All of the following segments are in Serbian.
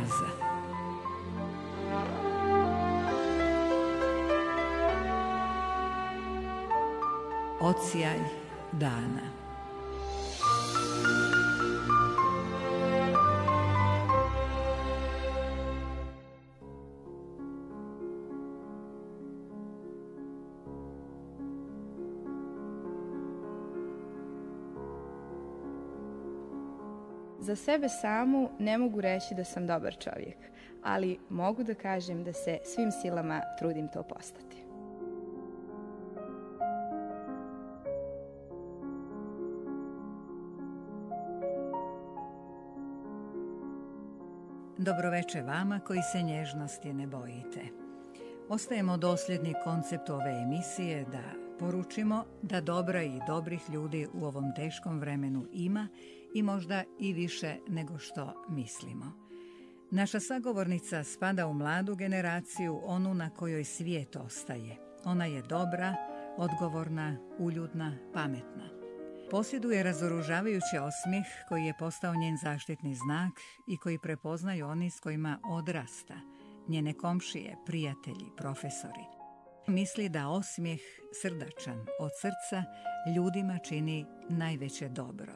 oaza. Odsjaj dana. Za sebe samu ne mogu reći da sam dobar čovjek, ali mogu da kažem da se svim silama trudim to postati. Dobroveče vama koji se nježnosti ne bojite. Ostajemo dosljedni konceptu ove emisije da poručimo da dobra i dobrih ljudi u ovom teškom vremenu ima i možda i više nego što mislimo. Naša sagovornica spada u mladu generaciju, onu na kojoj svijet ostaje. Ona je dobra, odgovorna, uljudna, pametna. Posjeduje razoružavajući osmijeh koji je postao njen zaštitni znak i koji prepoznaju oni s kojima odrasta, njene komšije, prijatelji, profesori. Misli da osmijeh, srdačan od srca, ljudima čini najveće dobro.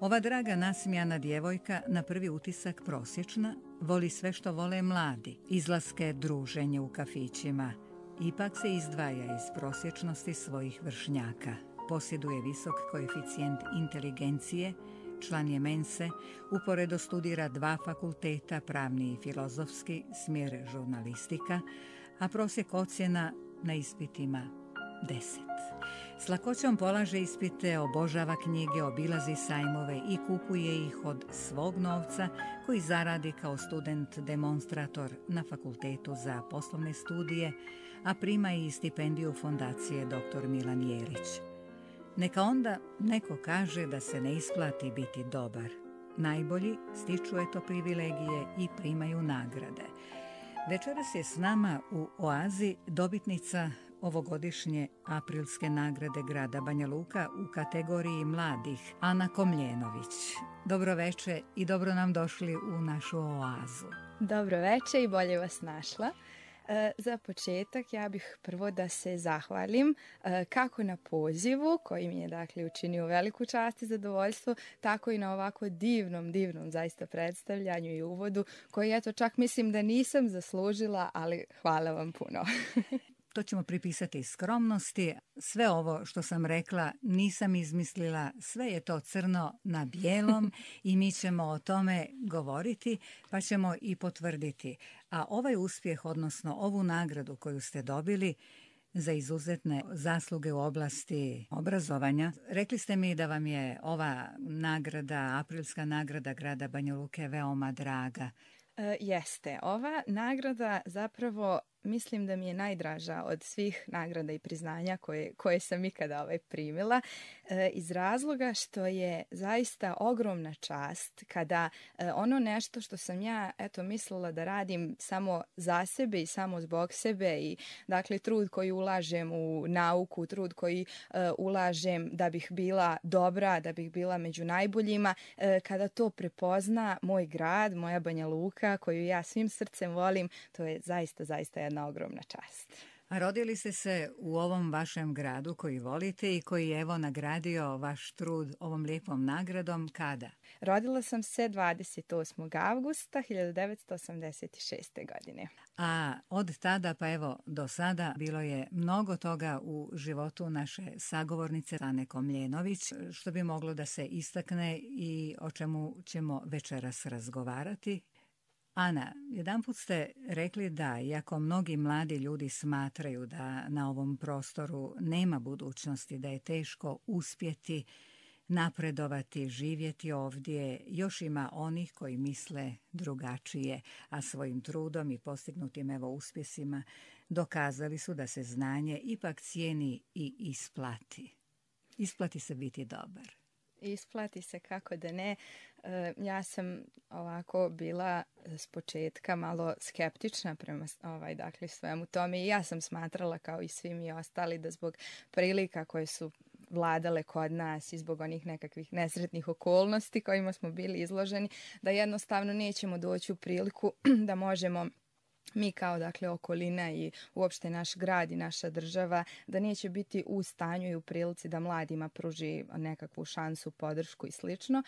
Ova draga nasmijana djevojka, na prvi utisak prosječna, voli sve što vole mladi, izlaske, druženje u kafićima. Ipak se izdvaja iz prosječnosti svojih vršnjaka. Posjeduje visok koeficijent inteligencije, član je mense, uporedo studira 2 fakulteta, pravni i filozofski, smjer žurnalistika, a prosjek ocjena na ispitima 10. S lakoćom polaže ispite, obožava knjige, obilazi sajmove i kupuje ih od svog novca koji zaradi kao student demonstrator na Fakultetu za poslovne studije, a prima i stipendiju fondacije dr. Milan Jerić. Neka onda neko kaže da se ne isplati biti dobar. Najbolji stiču eto privilegije i primaju nagrade. Večeras je s nama u oazi dobitnica ovogodišnje aprilske nagrade grada Banja Luka u kategoriji mladih, Ana Komljenović. Dobroveče i dobro nam došli u našu oazu. Dobroveče i bolje vas našla. Za početak ja bih prvo da se zahvalim kako na pozivu koji mi je dakle učinio veliku čast i zadovoljstvo, tako i na ovako divnom zaista predstavljanju i uvodu koji eto čak mislim da nisam zaslužila, ali hvala vam puno. To ćemo pripisati skromnosti. Sve ovo što sam rekla nisam izmislila, sve je to crno na bijelom i mi ćemo o tome govoriti pa ćemo i potvrditi. A ovaj uspjeh, odnosno ovu nagradu koju ste dobili za izuzetne zasluge u oblasti obrazovanja, rekli ste mi da vam je ova nagrada, aprilska nagrada grada Banja Luke veoma draga. Jeste, ova nagrada zapravo mislim da mi je najdraža od svih nagrada i priznanja koje sam ikada primila, iz razloga što je zaista ogromna čast kada ono nešto što sam ja mislila da radim samo za sebe i samo zbog sebe i dakle trud koji ulažem u nauku, trud koji ulažem da bih bila dobra, da bih bila među najboljima, kada to prepozna moj grad, moja Banja Luka koju ja svim srcem volim, to je zaista jedna ogromna čast. A rodili ste se u ovom vašem gradu koji volite i koji je evo nagradio vaš trud ovom lijepom nagradom kada? Rodila sam se 28. avgusta 1986. godine. A od tada pa evo do sada bilo je mnogo toga u životu naše sagovornice Ane Komljenović što bi moglo da se istakne i o čemu ćemo večeras razgovarati. Ana, jedanput ste rekli da, iako mnogi mladi ljudi smatraju da na ovom prostoru nema budućnosti, da je teško uspjeti, napredovati, živjeti ovdje, još ima onih koji misle drugačije, a svojim trudom i postignutim uspjesima dokazali su da se znanje ipak cijeni i isplati. Isplati se biti dobar. Isplati se, kako da ne. Ja sam ovako bila s početka malo skeptična prema svemu tome i ja sam smatrala kao i svi mi ostali da zbog prilika koje su vladale kod nas i zbog onih nekakvih nesretnih okolnosti kojima smo bili izloženi, da jednostavno nećemo doći u priliku da možemo mi kao dakle okolina i uopšte naš grad i naša država da neće biti u stanju i u prilici da mladima pruži nekakvu šansu, podršku i slično.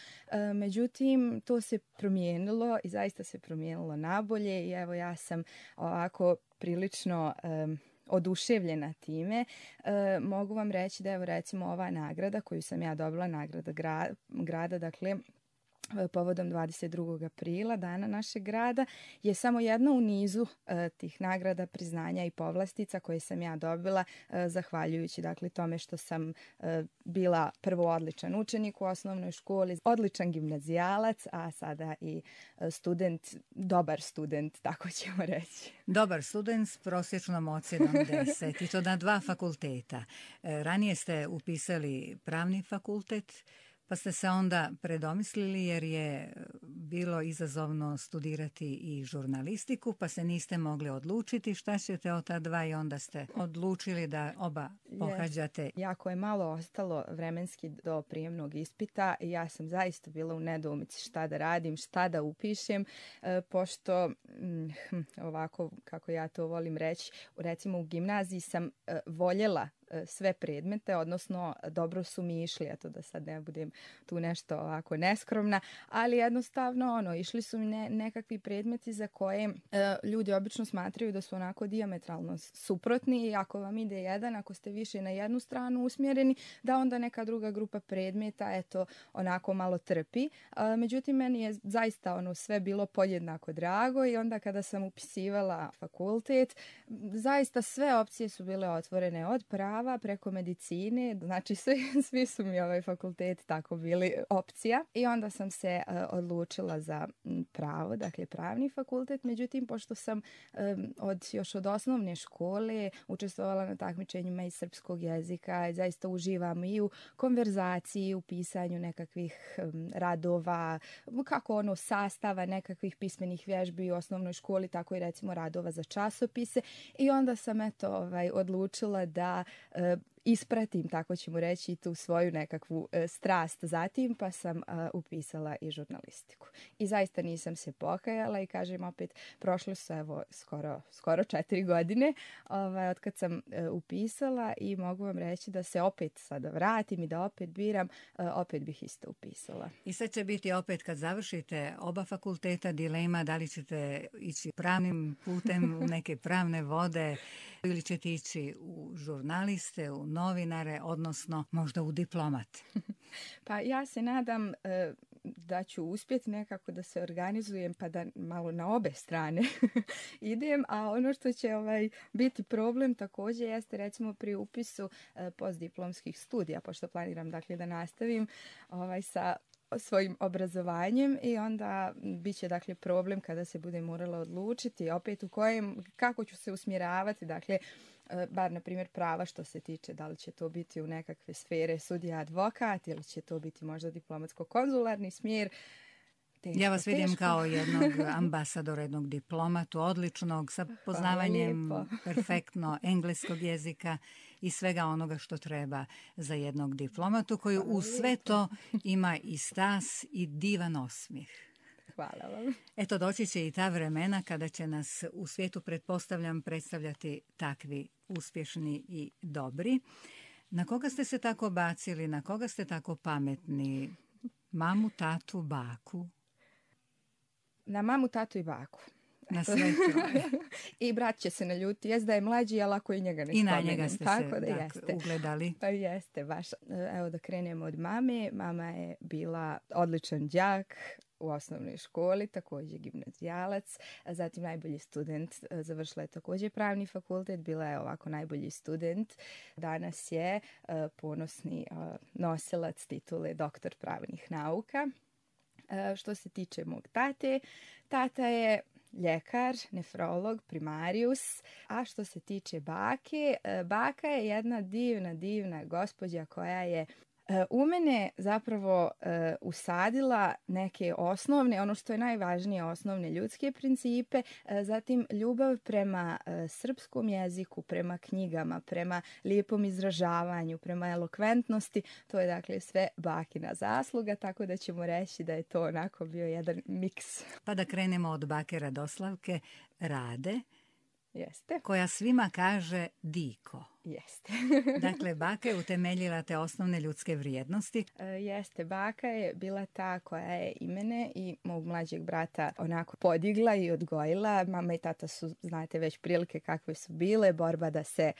Međutim, to se promijenilo i zaista se promijenilo nabolje i evo ja sam ovako prilično oduševljena time. Mogu vam reći da evo recimo ova nagrada koju sam ja dobila, nagrada grada, dakle povodom 22. aprila, dana našeg grada, je samo jedna u nizu tih nagrada, priznanja i povlastica koje sam ja dobila zahvaljujući dakle tome što sam bila prvo odličan učenik u osnovnoj školi, odličan gimnazijalac, a sada i student, dobar student, tako ćemo reći. Dobar student s prosječnom ocjenom 10 i to na 2 fakulteta. Ranije ste upisali pravni fakultet, pa ste se onda predomislili jer je bilo izazovno studirati i žurnalistiku, pa se niste mogli odlučiti šta ćete od ta 2 i onda ste odlučili da oba pohađate. Jako je malo ostalo vremenski do prijemnog ispita i ja sam zaista bila u nedoumici šta da radim, šta da upišem, pošto ovako kako ja to volim reći, recimo u gimnaziji sam voljela sve predmete, odnosno dobro su mi išli, eto da sad ne budem tu nešto ovako neskromna, ali jednostavno išli su mi nekakvi predmeti za koje ljudi obično smatraju da su onako dijametralno suprotni i ako vam ide jedan, ako ste više na jednu stranu usmjereni, da onda neka druga grupa predmeta eto onako malo trpi. Međutim, meni je zaista sve bilo podjednako drago i onda kada sam upisivala fakultet, zaista sve opcije su bile otvorene od prava preko medicine, znači svi su mi ovaj fakultet tako bili opcija i onda sam se odlučila za pravo, dakle pravni fakultet, međutim pošto sam još od osnovne škole učestvovala na takmičenjima iz srpskog jezika i zaista uživam i u konverzaciji, u pisanju nekakvih radova, kako sastava nekakvih pismenih vježbi u osnovnoj školi, tako i recimo radova za časopise i onda sam odlučila da ispratim, tako ćemo reći, tu svoju nekakvu strast zatim, pa sam upisala i žurnalistiku. I zaista nisam se pokajala i kažem opet, prošlo su evo skoro 4 godine od kad sam upisala i mogu vam reći da se opet sada vratim i da opet biram, opet bih isto upisala. I sad će biti opet kad završite oba fakulteta dilema da li ćete ići pravnim putem u neke pravne vode ili ćete ići u žurnaliste, u novinare, odnosno možda u diplomat. Pa ja se nadam da ću uspjeti nekako da se organizujem pa da malo na obe strane idem, a ono što će biti problem također jeste recimo pri upisu postdiplomskih studija, pošto planiram dakle da nastavim sa svojim obrazovanjem i onda bit će dakle problem kada se bude morala odlučiti opet kako ću se usmjeravati, dakle bar na primjer prava što se tiče da li će to biti u nekakve sfere sudija advokat ili će to biti možda diplomatsko-konzularni smjer. Ja vas vidim kao jednog ambasadora, jednog diplomatu, odličnog, sa poznavanjem perfektno engleskog jezika i svega onoga što treba za jednog diplomatu koji uz sve to ima i stas i divan osmijeh. Hvala vam. Eto, doći će i ta vremena kada će nas u svijetu, pretpostavljam, predstavljati takvi uspješni i dobri. Na koga ste se tako bacili, na koga ste tako pametni? Mamu, tatu, baku? Na mamu, tatu i baku. Na sve troje. I brat će se naljuti. Jest da je mlađi, ali ako i njega ne spomenem. I na njega ste tako se jeste. Ugledali. Pa jeste, baš. Evo da krenemo od mame. Mama je bila odličan đak u osnovnoj školi, također gimnazijalac, zatim najbolji student, završila je također pravni fakultet, bila je ovako najbolji student. Danas je ponosni nosilac titule doktor pravnih nauka. Što se tiče mog tate, tata je ljekar, nefrolog, primarijus, a što se tiče bake, baka je jedna divna gospođa koja je U mene zapravo usadila neke osnovne, ono što je najvažnije, osnovne ljudske principe, zatim ljubav prema srpskom jeziku, prema knjigama, prema lijepom izražavanju, prema elokventnosti. To je dakle sve bakina zasluga, tako da ćemo reći da je to onako bio jedan miks. Pa da krenemo od bake Radoslavke, Rade, Jeste. koja svima kaže Diko. Jeste. Dakle, baka je utemeljila te osnovne ljudske vrijednosti. Jeste, baka je bila ta koja je i mene i mog mlađeg brata onako podigla i odgojila. Mama i tata su, znate već prilike kakve su bile, borba da se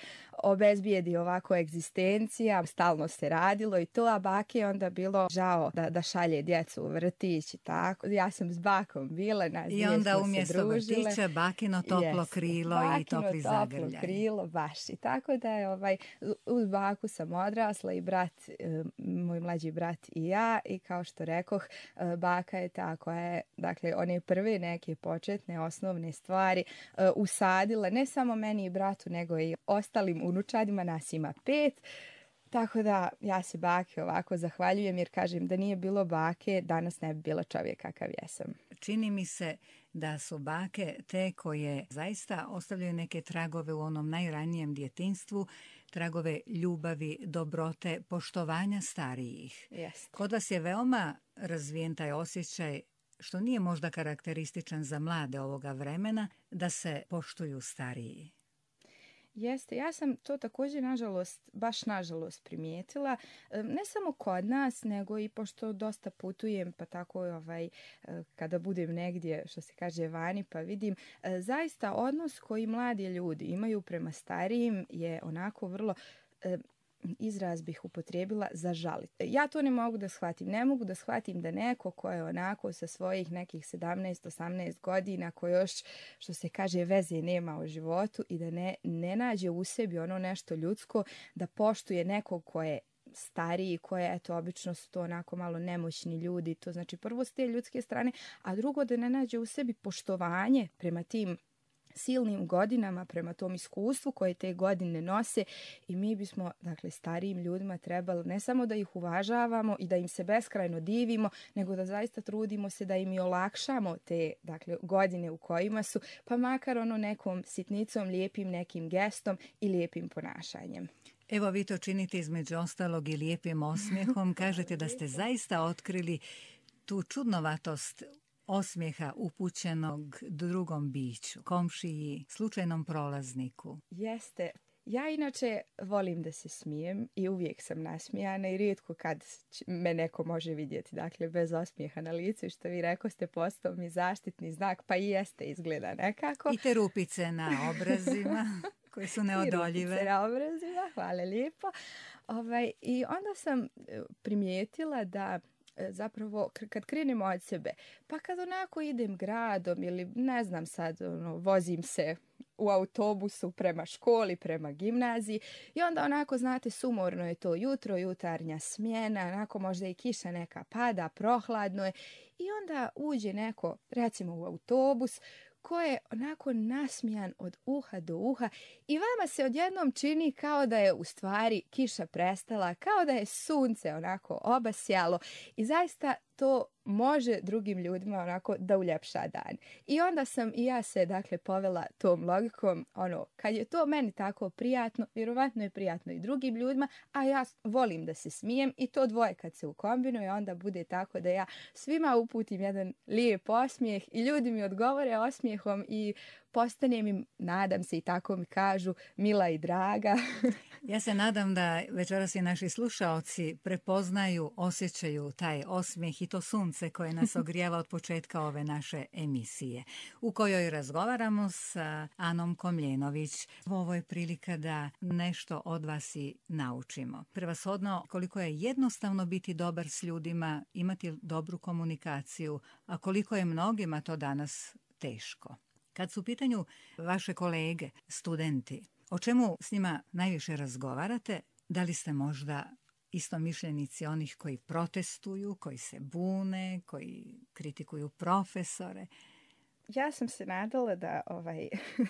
obezbijedi ovako egzistencija, stalno se radilo i to, a baki je onda bilo žao da šalje djecu u vrtić i tako. Ja sam s bakom bila, nas dvije smo se družile. I onda umjesto vrtića bakino toplo krilo i topli zagrljaj. Bakino toplo krilo, baš. I tako da je uz baku sam odrasla i brat, moj mlađi brat i ja, i kao što rekoh, baka je ta koja je, dakle, one prve neke početne osnovne stvari usadila ne samo meni i bratu, nego i ostalim unučadima, nas ima 5. Tako da ja se bake ovako zahvaljujem, jer kažem da nije bilo bake, danas ne bi bila čovjek kakav jesam. Čini mi se da su bake te koje zaista ostavljaju neke tragove u onom najranijem djetinjstvu, tragove ljubavi, dobrote, poštovanja starijih. Jeste. Kod vas je veoma razvijen taj osjećaj, što nije možda karakterističan za mlade ovoga vremena, da se poštuju stariji. Jeste, ja sam to također baš nažalost primijetila, ne samo kod nas, nego i pošto dosta putujem, pa tako kada budem negdje, što se kaže, vani, pa vidim, zaista odnos koji mladi ljudi imaju prema starijim je onako vrlo, izraz bih upotrijebila, zažaliti. Ja to ne mogu da shvatim. Ne mogu da shvatim da neko ko je onako sa svojih nekih 17-18 godina, ko još, što se kaže, veze nema u životu i da ne nađe u sebi ono nešto ljudsko, da poštuje nekog ko je stariji, koje, eto, obično su to onako malo nemoćni ljudi. To znači prvo s te ljudske strane, a drugo da ne nađe u sebi poštovanje prema tim silnim godinama, prema tom iskustvu koje te godine nose, i mi bismo, dakle, starijim ljudima trebali ne samo da ih uvažavamo i da im se beskrajno divimo, nego da zaista trudimo se da im i olakšamo te, dakle, godine u kojima su, pa makar ono nekom sitnicom, lijepim nekim gestom i lijepim ponašanjem. Evo, vi to činite između ostalog i lijepim osmijehom. Kažete da ste zaista otkrili tu čudnovatost osmijeha upućenog drugom biću, komšiji, slučajnom prolazniku. Jeste. Ja inače volim da se smijem i uvijek sam nasmijana i rijetko kad me neko može vidjeti, dakle, bez osmijeha na licu, što vi rekoste, postao mi zaštitni znak, pa i jeste, izgleda nekako. I te rupice na obrazima koje su neodoljive. I rupice na obrazima, hvala lijepo. I onda sam primijetila da zapravo kad krenemo od sebe, pa kad onako idem gradom ili ne znam sad, vozim se u autobusu prema školi, prema gimnaziji, i onda onako, znate, sumorno je to jutro, jutarnja smjena, onako možda i kiša neka pada, prohladno je, i onda uđe neko, recimo u autobus, ko je onako nasmijan od uha do uha i vama se odjednom čini kao da je u stvari kiša prestala, kao da je sunce onako obasjalo, i zaista to može drugim ljudima onako da uljepša dan. I onda sam i ja se, dakle, povela tom logikom, kad je to meni tako prijatno, vjerovatno je prijatno i drugim ljudima, a ja volim da se smijem, i to dvoje kad se ukombinuje, onda bude tako da ja svima uputim jedan lijep osmijeh i ljudi mi odgovore osmijehom i postanem im, nadam se, i tako mi kažu, mila i draga. Ja se nadam da večeras i naši slušaoci prepoznaju, osjećaju taj osmijeh i to sunce koje nas ogrijava od početka ove naše emisije, u kojoj razgovaramo sa Anom Komljenović. Ovo je prilika da nešto od vas i naučimo. Prevashodno, koliko je jednostavno biti dobar s ljudima, imati dobru komunikaciju, a koliko je mnogima to danas teško. Kad su u pitanju vaše kolege, studenti, o čemu s njima najviše razgovarate? Da li ste možda istomišljenici onih koji protestuju, koji se bune, koji kritikuju profesore? Ja sam se nadala da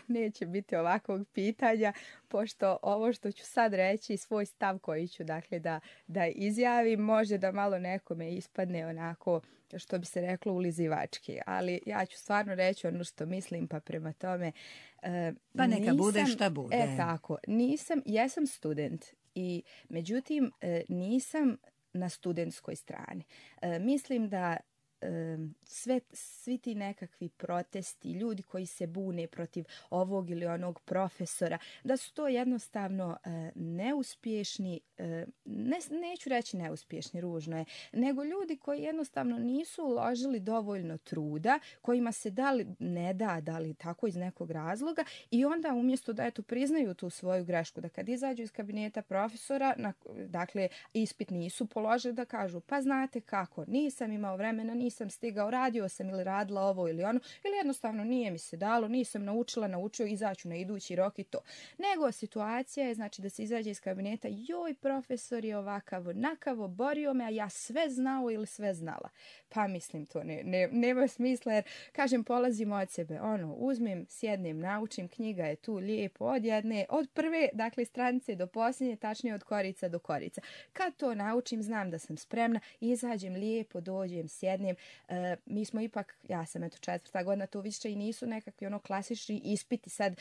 neće biti ovakvog pitanja, pošto ovo što ću sad reći, svoj stav koji ću dakle da izjavim, može da malo nekome ispadne onako, što bi se reklo, ulizivački. Ali ja ću stvarno reći ono što mislim, pa prema tome Pa neka bude šta bude. Tako, jesam student i međutim nisam na studentskoj strani. Mislim da svi ti nekakvi protesti, ljudi koji se bune protiv ovog ili onog profesora, da su to jednostavno neuspješni, neću reći neuspješni, ružno je, nego ljudi koji jednostavno nisu uložili dovoljno truda, kojima se da li tako iz nekog razloga, i onda umjesto da priznaju tu svoju grešku, da kad izađu iz kabineta profesora, dakle ispit nisu položili, da kažu pa znate kako, nisam imao vremena, nisam stigao, radio sam ili radila ovo ili ono, ili jednostavno nije mi se dalo, nisam naučio, izaću na idući rok i to. Nego situacija je, znači, da se izađe iz kabineta, joj, profesor je ovakav, onakav, borio me, a ja sve znao ili sve znala. Pa mislim, to nema smisla, jer, kažem, polazimo od sebe, uzmem, sjednem, naučim, knjiga je tu lijepo, od prve, dakle, stranice do posljednje, tačnije od korica do korica. Kad to naučim, znam da sam spremna, izađem lijepo, dođem, sjednem. Mi smo ipak, ja sam 4. godina, to više i nisu nekakvi klasični ispiti, sad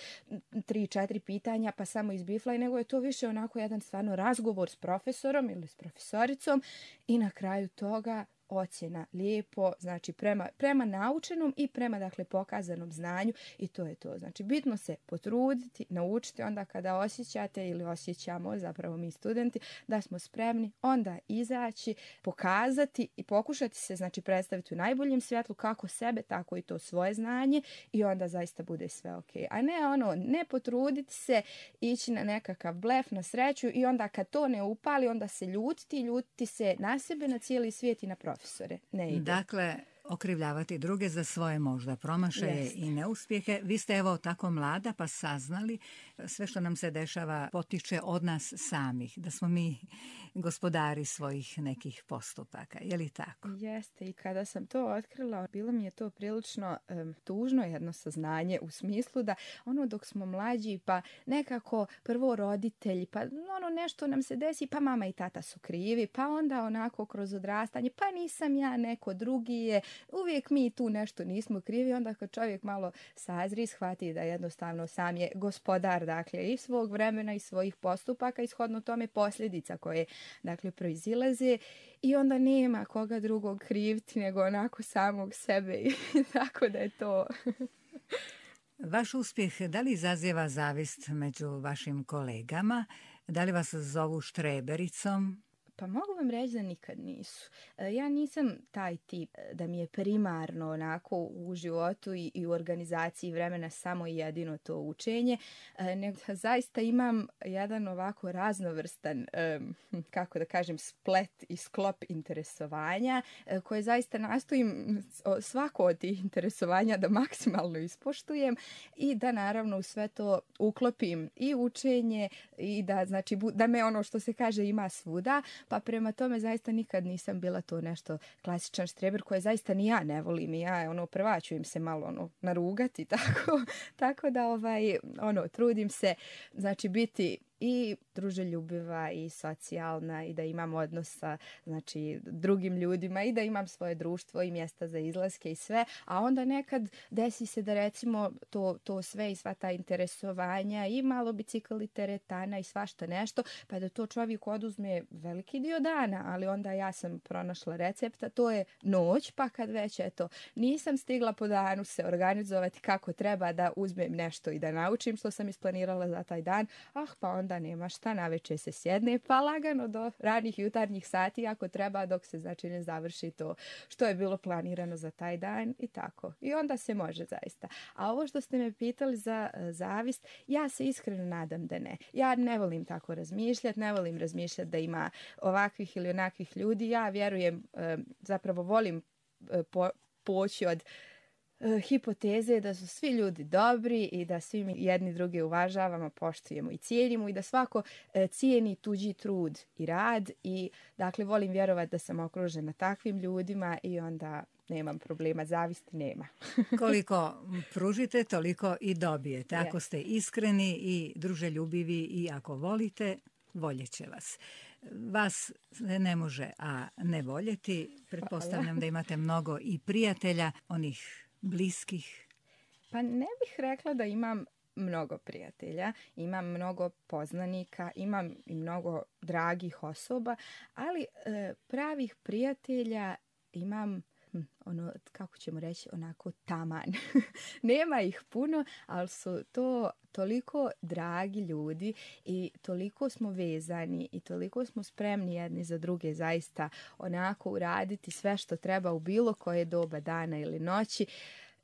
3-4 pitanja pa samo izbiflaj, nego je to više onako jedan stvarno razgovor s profesorom ili s profesoricom i na kraju toga ocjena lijepo, znači prema naučenom i prema, dakle, pokazanom znanju, i to je to. Znači, bitno se potruditi, naučiti, onda kada osjećate ili osjećamo, zapravo mi studenti, da smo spremni, onda izaći, pokazati i pokušati se, znači, predstaviti u najboljem svjetlu kako sebe, tako i to svoje znanje, i onda zaista bude sve ok. A ne ne potruditi se, ići na nekakav blef, na sreću, i onda kad to ne upali, onda se ljutiti se na sebe, na cijeli svijet i na profesore. Ne ide. Dakle, okrivljavati druge za svoje možda promašaje i neuspjehe. Vi ste evo tako mlada pa saznali sve što nam se dešava potiče od nas samih, da smo mi gospodari svojih nekih postupaka. Je li tako? Jeste, i kada sam to otkrila, bilo mi je to prilično tužno jedno saznanje, u smislu da dok smo mlađi, pa nekako prvo roditelji, pa nešto nam se desi, pa mama i tata su krivi, pa onda onako kroz odrastanje, pa nisam ja, neko drugi je, uvijek mi tu nešto nismo krivi. Onda kad čovjek malo sazri, shvati da jednostavno sam je gospodar, dakle, i svog vremena i svojih postupaka, i shodno tome posljedica koje, dakle, proizilaze, i onda nema koga drugog kriviti nego onako samog sebe, i tako da je to. Vaš uspjeh da li izaziva zavist među vašim kolegama? Da li vas zovu štrebericom? Pa mogu vam reći da nikad nisu. Ja nisam taj tip da mi je primarno onako u životu i u organizaciji vremena samo i jedino to učenje, nego zaista imam jedan ovako raznovrstan, kako da kažem, splet i sklop interesovanja, koje zaista nastojim svako od tih interesovanja da maksimalno ispoštujem i da naravno u sve to uklopim i učenje i da, znači, da me ono što se kaže ima svuda. Pa prema tome zaista nikad nisam bila to nešto klasičan štreber, koje zaista ni ja ne volim, i ja prva ću im se malo narugati, tako da trudim se, znači, biti i druželjubiva i socijalna i da imam odnos sa, znači, drugim ljudima i da imam svoje društvo i mjesta za izlaske i sve, a onda nekad desi se da recimo to sve i sva ta interesovanja i malo bicikl i teretana i svašta nešto, pa da to čovjek oduzme veliki dio dana, ali onda ja sam pronašla recepta, to je noć, pa kad već nisam stigla po danu se organizovati kako treba da uzmem nešto i da naučim što sam isplanirala za taj dan, pa onda nema šta, navečer se sjedne, pa lagano do ranih jutarnjih sati ako treba, dok se, znači, ne završi to što je bilo planirano za taj dan i tako. I onda se može zaista. A ovo što ste me pitali za zavist, ja se iskreno nadam da ne. Ja ne volim tako razmišljati, ne volim razmišljati da ima ovakvih ili onakvih ljudi. Ja vjerujem, zapravo volim poći od hipoteze da su svi ljudi dobri i da svi mi jedni druge uvažavamo, poštujemo i cijenimo i da svako cijeni tuđi trud i rad, i dakle volim vjerovati da sam okružena takvim ljudima i onda nemam problema, zavisti nema. Koliko pružite, toliko i dobijete. Ako Yes. ste iskreni i druželjubivi i ako volite, voljet će vas. Vas se ne može, a ne voljeti. Pretpostavljam da imate mnogo i prijatelja, onih bliskih. Pa ne bih rekla da imam mnogo prijatelja, imam mnogo poznanika, imam i mnogo dragih osoba, ali pravih prijatelja imam ono, kako ćemo reći, onako taman. Nema ih puno, ali su to toliko dragi ljudi i toliko smo vezani i toliko smo spremni jedni za druge zaista onako uraditi sve što treba u bilo koje doba dana ili noći.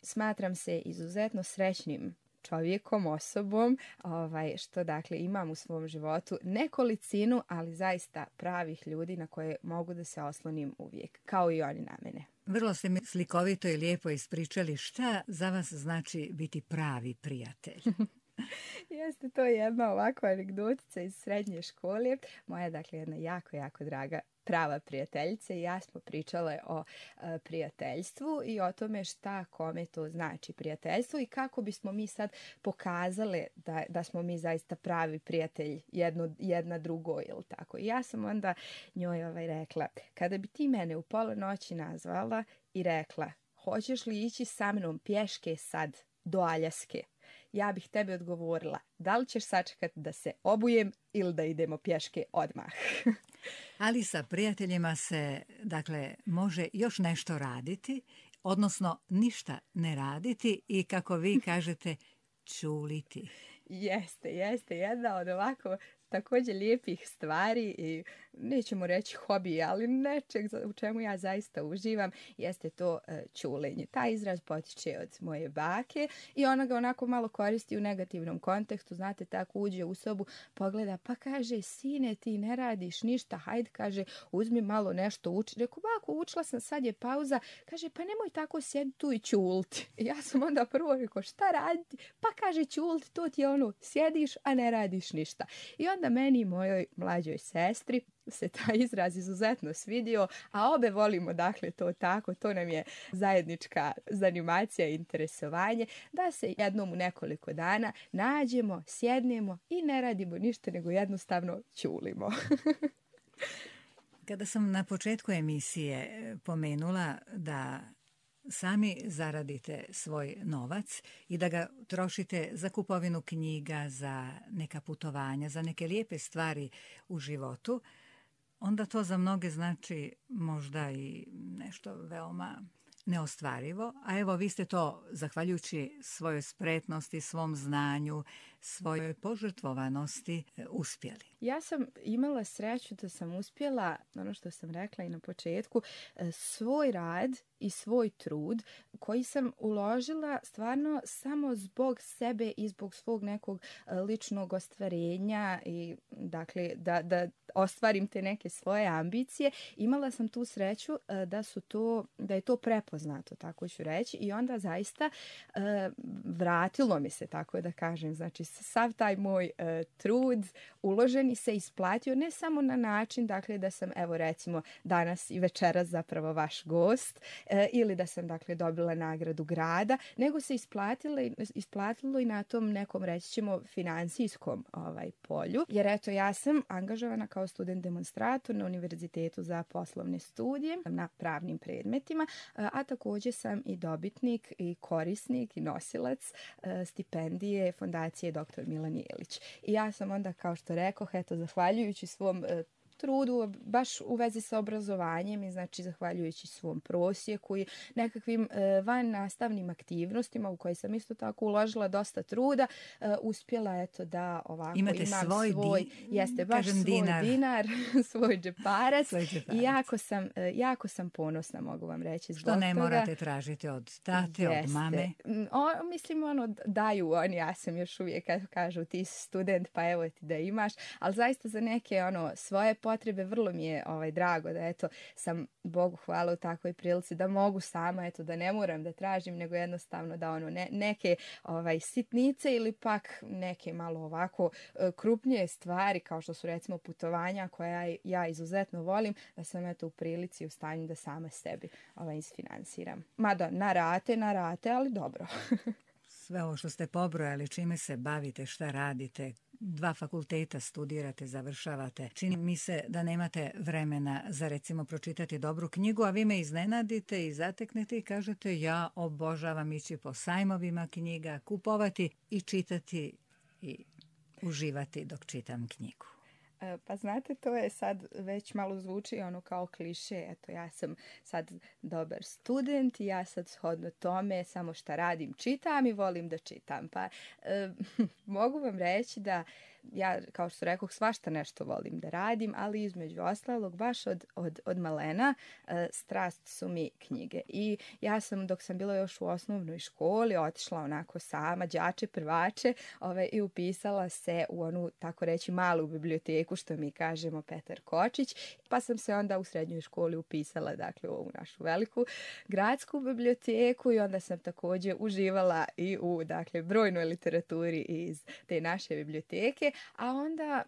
Smatram se izuzetno srećnim čovjekom, osobom, što dakle imam u svom životu nekolicinu, ali zaista pravih ljudi na koje mogu da se oslonim uvijek, kao i oni na mene. Vrlo ste mi slikovito i lijepo ispričali šta za vas znači biti pravi prijatelj. Jeste to jedna ovakva anegdotica iz srednje škole. Moja, dakle, jedna jako, jako draga prava prijateljica i ja smo pričale o prijateljstvu i o tome šta kome to znači prijateljstvo i kako bismo mi sad pokazale da smo mi zaista pravi prijatelj jedna drugoj ili tako. I ja sam onda njoj rekla, kada bi ti mene u pola noći nazvala i rekla, hoćeš li ići sa mnom pješke sad do Aljaske? Ja bih tebi odgovorila, da li ćeš sačekati da se obujem ili da idemo pješke odmah? Ali sa prijateljima se, dakle, može još nešto raditi, odnosno ništa ne raditi i kako vi kažete, čuliti. Jeste. Jedna od ovako također lijepih stvari i nećemo reći hobi, ali nečeg u čemu ja zaista uživam, jeste to čulenje. Taj izraz potiče od moje bake i ona ga onako malo koristi u negativnom kontekstu. Znate, tako uđe u sobu, pogleda, pa kaže, sine, ti ne radiš ništa, hajde, kaže, uzmi malo nešto uči. Reku, bako, učila sam, sad je pauza. Kaže, pa nemoj tako sjedi tu i čulti. I ja sam onda prvo rekao, šta raditi? Pa kaže, čulti, to ti je ono, sjediš, a ne radiš ništa. I onda meni i mojoj mlađoj sestri se taj izraz izuzetno svidio, a obe volimo, dakle, to tako, to nam je zajednička zanimacija i interesovanje, da se jednom u nekoliko dana nađemo, sjednemo i ne radimo ništa, nego jednostavno ćulimo. Kada sam na početku emisije pomenula da sami zaradite svoj novac i da ga trošite za kupovinu knjiga, za neka putovanja, za neke lijepe stvari u životu, onda to za mnoge znači možda i nešto veoma neostvarivo. A evo, vi ste to, zahvaljujući svojoj spretnosti, svom znanju, svojoj požrtvovanosti, uspjeli. Ja sam imala sreću da sam uspjela, ono što sam rekla i na početku, svoj rad i svoj trud koji sam uložila stvarno samo zbog sebe i zbog svog nekog ličnog ostvarenja i dakle da ostvarim te neke svoje ambicije. Imala sam tu sreću da je to prepoznato, tako ću reći, i onda zaista vratilo mi se, tako da kažem, znači sav taj moj trud uloženi se isplatio ne samo na način, dakle, da sam, evo recimo, danas i večeras zapravo vaš gost ili da sam, dakle, dobila nagradu grada, nego se isplatilo i na tom nekom, reći ćemo, financijskom polju. Jer eto, ja sam angažovana kao student demonstrator na Univerzitetu za poslovne studije na pravnim predmetima, a također sam i dobitnik i korisnik i nosilac stipendije Fondacije dr. Milan Jelić. I ja sam onda, kao što rekoh, eto, zahvaljujući svom trudu, baš u vezi sa obrazovanjem i znači zahvaljujući svom prosjeku i nekakvim van nastavnim aktivnostima u koje sam isto tako uložila dosta truda, uspjela eto da ovako imate imam svoj jeste baš svoj dinar, svoj džeparac i jako sam ponosna, mogu vam reći, zbog toga. Što ne toga. Morate tražiti od tate, od mame. Mislim, daju oni, ja sam još uvijek, kažu ti si student, pa evo ti da imaš, ali zaista za neke svoje potrebe, vrlo mi je drago da eto sam Bogu hvala u takvoj prilici da mogu sama, eto da ne moram da tražim, nego jednostavno da neke sitnice ili pak neke malo ovako krupnije stvari kao što su recimo putovanja koja ja izuzetno volim, da sam eto u prilici u stanju da sama sebi isfinansiram. Mada na rate, ali dobro. Sve ovo što ste pobrojali, čime se bavite, šta radite, 2 fakulteta studirate, završavate. Čini mi se da nemate vremena za recimo pročitati dobru knjigu, a vi me iznenadite i zateknete i kažete ja obožavam ići po sajmovima knjiga, kupovati i čitati i uživati dok čitam knjigu. Pa znate, to je sad već malo zvuči kao kliše. Eto, ja sam sad dobar student i ja sad shodno tome samo šta radim, čitam i volim da čitam. Pa mogu vam reći da ja, kao što rekoh, svašta nešto volim da radim, ali između ostalog baš od malena strast su mi knjige. I ja sam, dok sam bila još u osnovnoj školi, otišla onako sama, đače prvače, i upisala se u onu, tako reći, malu biblioteku, što mi kažemo Petar Kočić, pa sam se onda u srednjoj školi upisala, dakle, u ovu našu veliku gradsku biblioteku i onda sam također uživala i u, dakle, brojnoj literaturi iz te naše biblioteke, a onda,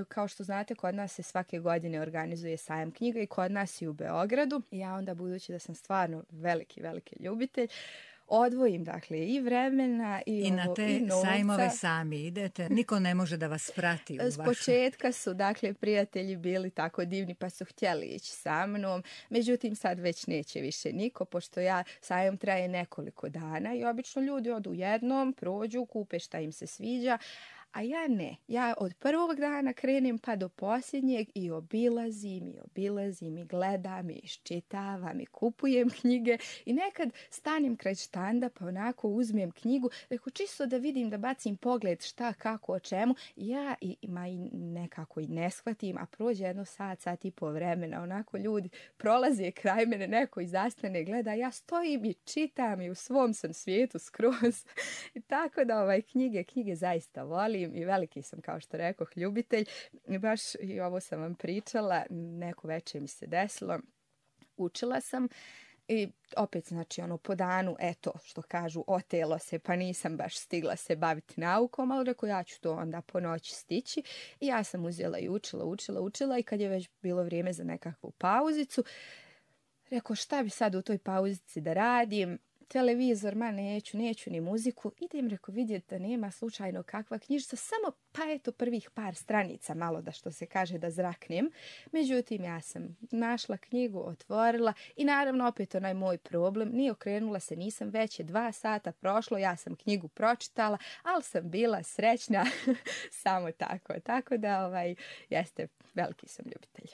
kao što znate, kod nas se svake godine organizuje sajam knjiga i kod nas i u Beogradu. Ja onda, budući da sam stvarno veliki ljubitelj, odvojim, dakle, i vremena i na te sajmove sami idete, niko ne može da vas prati. S početka su, dakle, prijatelji bili tako divni pa su htjeli ići sa mnom, međutim sad već neće više niko, pošto sajam traje nekoliko dana i obično ljudi odu jednom, prođu, kupe šta im se sviđa, a ja ne. Ja od prvog dana krenem pa do posljednjeg i obilazim i gledam i iščitavam i kupujem knjige i nekad stanem kraj štanda pa onako uzmem knjigu, reko čisto da vidim, da bacim pogled šta, kako, o čemu. Ja i nekako i ne shvatim, a prođe jedno sat i po vremena, onako ljudi prolaze kraj mene, neko i zastane, gleda, ja stojim i čitam i u svom sam svijetu skroz. I tako da knjige zaista volim i veliki sam, kao što rekoh, ljubitelj. I baš i ovo sam vam pričala, neko večer mi se desilo, učila sam i opet, znači, po danu, eto, što kažu, otelo se, pa nisam baš stigla se baviti naukom, ali reko, ja ću to onda po noći stići. I ja sam uzela i učila i kad je već bilo vrijeme za nekakvu pauzicu, reko, šta bi sad u toj pauzici da radim? Televizor, neću ni muziku. Idem, reko, vidjeti da nema slučajno kakva knjižica, samo pa eto prvih par stranica, malo da, što se kaže, da zraknem. Međutim, ja sam našla knjigu, otvorila i naravno opet onaj moj problem, nije okrenula se, nisam, već je 2 sata prošlo, ja sam knjigu pročitala, ali sam bila srećna samo tako. Tako da, jeste, veliki sam ljubitelj.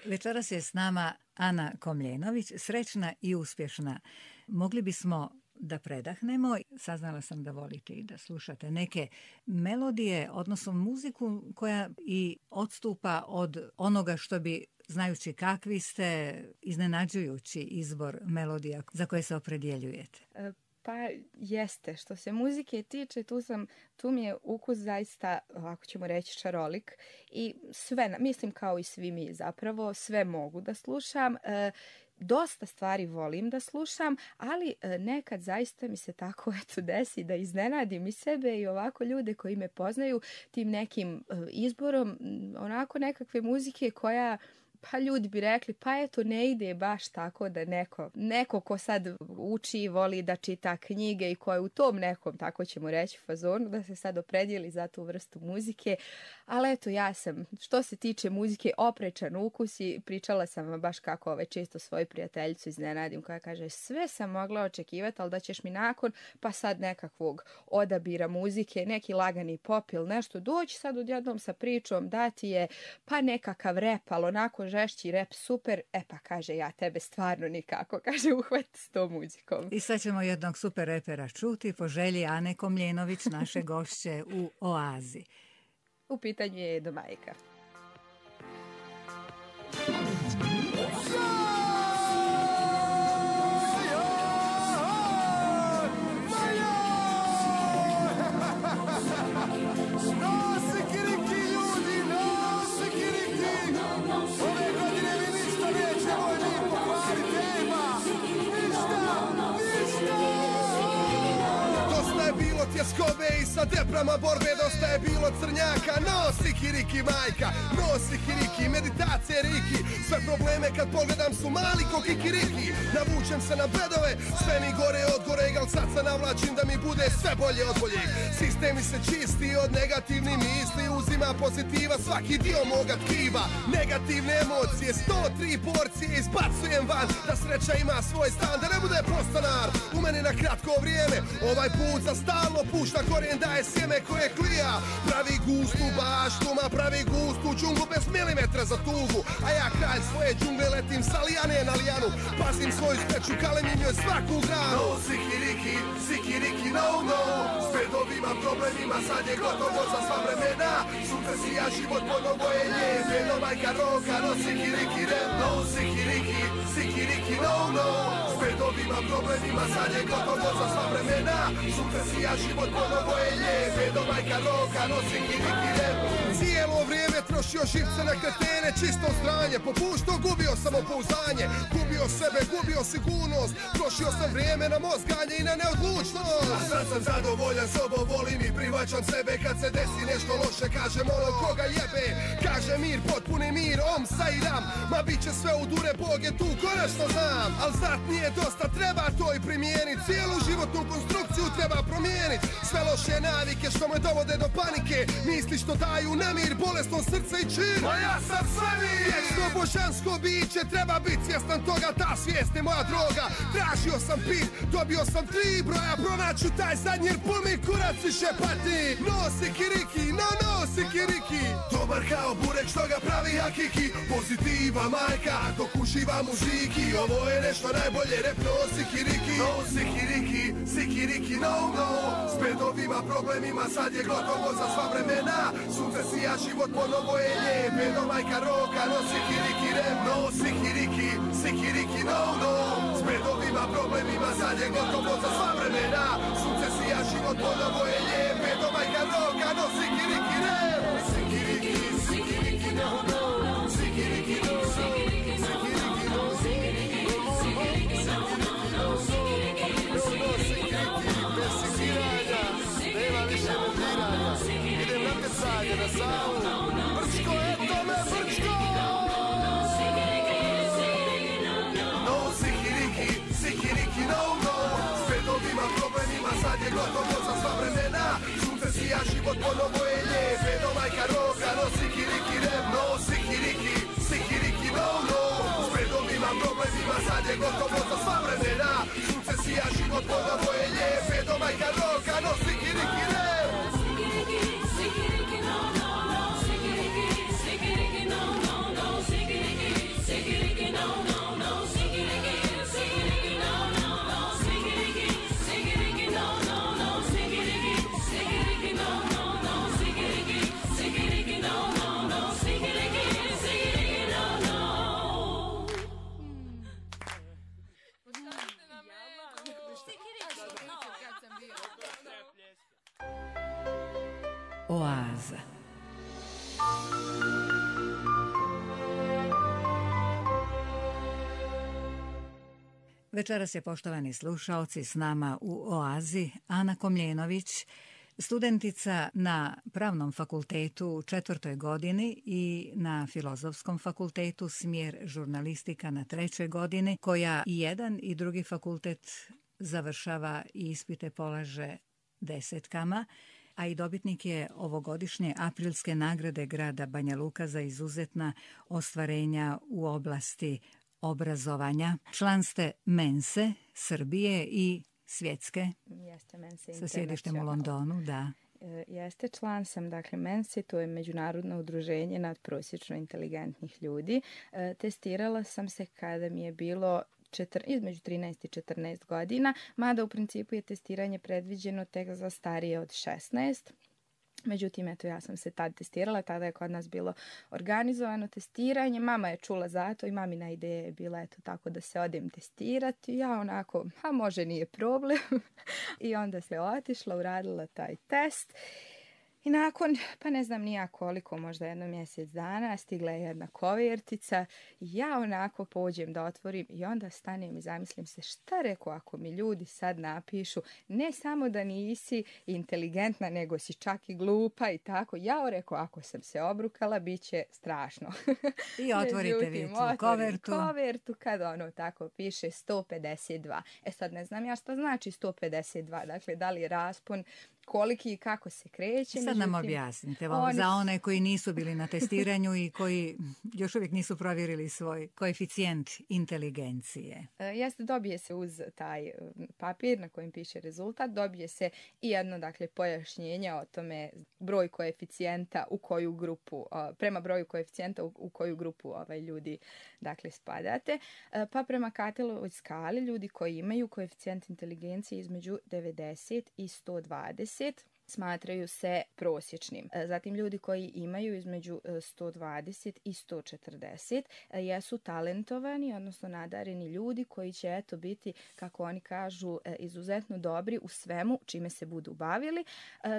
Večeras je s nama Ana Komljenović, srećna i uspješna. Mogli bismo da predahnemo. Saznala sam da volite i da slušate neke melodije, odnosno muziku koja i odstupa od onoga što bi, znajući kakvi ste, iznenađujući izbor melodija za koje se opredjeljujete. Pa jeste, što se muzike tiče, tu mi je ukus zaista, ako ćemo reći, šarolik i sve, mislim kao i svi mi zapravo, sve mogu da slušam. Dosta stvari volim da slušam, ali nekad zaista mi se tako desi da iznenadim i sebe i ovako ljude koji me poznaju tim nekim izborom onako nekakve muzike koja, pa ljudi bi rekli, pa eto, ne ide baš tako da neko ko sad uči i voli da čita knjige i ko je u tom nekom, tako ćemo reći, fazonu, da se sad opredijeli za tu vrstu muzike. Ali eto, ja sam, što se tiče muzike, oprečan ukus i pričala sam vam baš kako često svoju prijateljicu iznenadim, koja kaže, sve sam mogla očekivati, ali da ćeš mi nakon, pa sad nekakvog odabira muzike, neki lagani pop ili nešto, doći sad odjednom sa pričom, dati je pa nekakav rep, ali onako žešći rep, super, pa kaže, ja tebe stvarno nikako, kaže, uhvati s tom muzikom. I sad ćemo jednog super repera čuti po želji Ane Komljenović, naše gošće u Oazi. U pitanju je Do majka. Nosi kiriki ljudi, nosi kiriki! deprama borbe dosta je bilo crnjaka. Nosi kiriki majka, nosi kiriki, meditacije riki. Sve probleme kad pogledam su mali ko kikiriki. Navučem se na bedove, sve mi gore od gore, al sad se navlačim da mi bude sve bolje od boljeg. Sistem mi se čisti od negativnih misli, uzima pozitiva svaki dio moga tkiva. Negativne emocije, 103 porcije izbacujem van, da sreća ima svoj stan, da ne bude postanar u meni na kratko vrijeme. Ovaj put za stalno pušta korijen, daje sjeme koje klija. Pravi gustu baštu, ma pravi gustu džunglu bez milimetra za tugu. A ja kralj svoje džungle letim sa lijane na lijanu, pazim svoju smeću, kalemim joj svaku granu. No, sikiriki, sikiriki, no, no. S bedovima, problemima, sad je gotovo za sva vremena. Sutra si ja život ponovo je lijep, jedno majka roka, no sikiriki, red, no, sikiriki, sikiriki, no, no. S bedovima, problemima, sad je gotovo za sva vremena. Sutra si ja život ponovo je lijep, jedno majka roka, no sikiriki, red. Cijelo vrijeme trošio živce na kretene, čisto stranje, popuštao, gubio samopouzdanje, gubio sebe, gubio sigurnost, trošio sam vrijeme na mozganje i na neodlučnost. A sad sam zadovoljan sobom, volim i prihvaćam sebe, kad se desi nešto loše, kažem ono koga jebe, kaže mir, potpuni mir, om sa i ram, ma bit će sve u dure, Bog je tu, konačno znam, al znat nije dosta, treba to i primijenit, cijelu životnu konstrukciju treba promijenit, sve loše navike što me dovode do panike, misli što daju nemir, bolesno srce i čin, ma ja sam sve mir. Vječno božansko biće, treba biti svjestan toga, ta svijest je moja droga. Tražio sam pit, dobio sam 3 broja, pronaću taj zadnji jer pun mi kurac više pati. Nosi kiriki, no nosi kiriki, dobar kao burek što ga pravi hakiki. Pozitiva majka, dok uživam u žiki, ovo je nešto najbolje, rep nosi kiriki. Nosi kiriki, sikiriki, no no. S bedovima, problemima, sad je gotovo za sva vremena. Sutra si ja život ponovo je lijep, jedno majka roka, nosi kiriki, rep, nosi kiriki, sikiriki, no no. S bedovima, problemima, sad je gotovo za sva vremena. Sutra si ja život ponovo je lijep, jedno majka roka, nosi kiriki, rep. Sikiriki, sikiriki, no no. Sikiriki, no no. Sikiriki, no no. Sikiriki, no no. Sikiriki, bez sikiranja, nema više mudiranja. Idem na tecanje, na savu, Brčko, eto me Brčko! No, sikiriki, sikiriki, no, no. S bedovima, problemima, sad je gotovo za sva vremena. Sutra si ja život ponovo je lijep, jedno majka roka, no sikiriki, rep, no sikiriki, sikiriki, no, no. S bedovima, problemima, sad je gotovo za sva vremena. Sutra si ja život ponovo je lijep, jedno majka roka, no sikiriki, rep. Oaza. Večeras je, poštovani slušaoci, s nama u Oazi Ana Komljenović, studentica na Pravnom fakultetu u 4. godini i na Filozofskom fakultetu smjer žurnalistika na 3. godini, koja i jedan i drugi fakultet završava i ispite polaže 10-kama, a i dobitnik je ovogodišnje aprilske nagrade grada Banja Luka za izuzetna ostvarenja u oblasti obrazovanja. Član ste Mense Srbije i svjetske, Jeste Mense sa sjedištem u Londonu, da. Jeste, član sam, dakle, Mense, to je međunarodno udruženje nadprosječno inteligentnih ljudi. Testirala sam se kada mi je bilo između 13 i 14 godina, mada u principu je testiranje predviđeno tek za starije od 16. Međutim, eto, ja sam se tad testirala, tada je kod nas bilo organizovano testiranje, mama je čula za to i mamina ideja je bila, eto, tako da se odem testirati. Ja onako, može, nije problem. I onda se otišla, uradila taj test. I nakon, pa ne znam ni ja koliko, možda jedno mjesec dana, stigla je jedna kovertica. Ja onako pođem da otvorim i onda stanem i zamislim se šta reko ako mi ljudi sad napišu ne samo da nisi inteligentna, nego si čak i glupa i tako. Ja reko ako sam se obrukala, bit će strašno. I otvorite vi tu kovertu kad ono tako piše 152. Sad ne znam ja šta znači 152, dakle da li je raspon, koliki i kako se kreće. Sad nam objasnite, za one koji nisu bili na testiranju i koji još uvijek nisu provjerili svoj koeficijent inteligencije. Jeste, dobije se uz taj papir na kojem piše rezultat, dobije se i jedno, dakle, pojašnjenje o tome broj koeficijenta u koju grupu, prema broju koeficijenta u koju grupu ljudi, dakle, spadate. Pa prema Katelovoj skali ljudi koji imaju koeficijent inteligencije između 90 i 120 smatraju se prosječnim. Zatim ljudi koji imaju između 120 i 140 jesu talentovani, odnosno nadareni ljudi koji će biti, kako oni kažu, izuzetno dobri u svemu čime se budu bavili,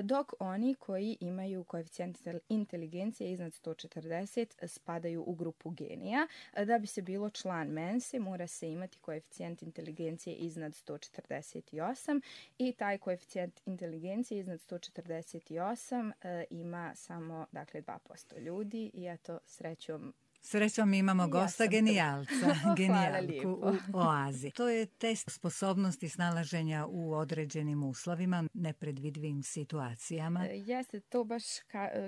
dok oni koji imaju koeficijent inteligencije iznad 140 spadaju u grupu genija. Da bi se bilo član mense mora se imati koeficijent inteligencije iznad 148 i taj koeficijent inteligencije iznad 148 ima samo, dakle, 2% ljudi i eto, Srećom imamo gosta genijalca, genijalku u Oazi. To je test sposobnosti snalaženja u određenim uslovima, nepredvidivim situacijama. Jeste, to baš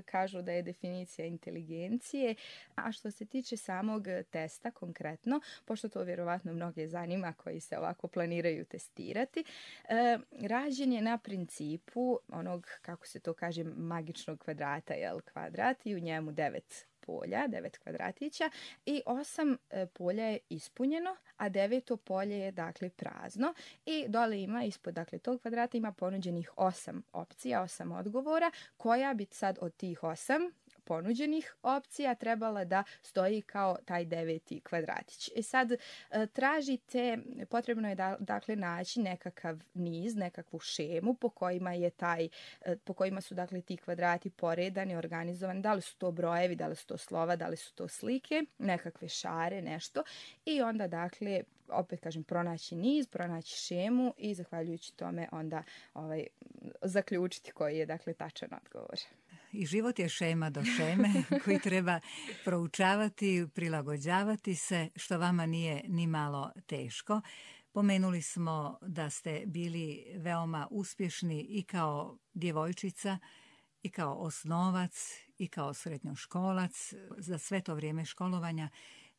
kažu da je definicija inteligencije. A što se tiče samog testa konkretno, pošto to vjerovatno mnoge zanima koji se ovako planiraju testirati, rađen je na principu onog, kako se to kaže, magičnog kvadrata, kvadrat i u njemu 9 kvadratića i 8 polja je ispunjeno, a 9. polje je, dakle, prazno i dole ima ispod, dakle, tog kvadrata ima ponuđenih 8 opcija, 8 odgovora, koja bi sad od tih 8 ponuđenih opcija trebala da stoji kao taj 9. kvadratić. I sad tražite, potrebno je dakle naći nekakav niz, nekakvu šemu po kojima su, dakle, ti kvadrati poredani, organizovani, da li su to brojevi, da li su to slova, da li su to slike, nekakve šare, nešto i onda, dakle, opet kažem, pronaći niz, pronaći šemu i zahvaljujući tome onda zaključiti koji je, dakle, tačan odgovor. I život je šema do šeme koji treba proučavati, prilagođavati se, što vama nije ni malo teško. Pomenuli smo da ste bili veoma uspješni i kao djevojčica, i kao osnovac, i kao srednjoškolac. Za sve to vrijeme školovanja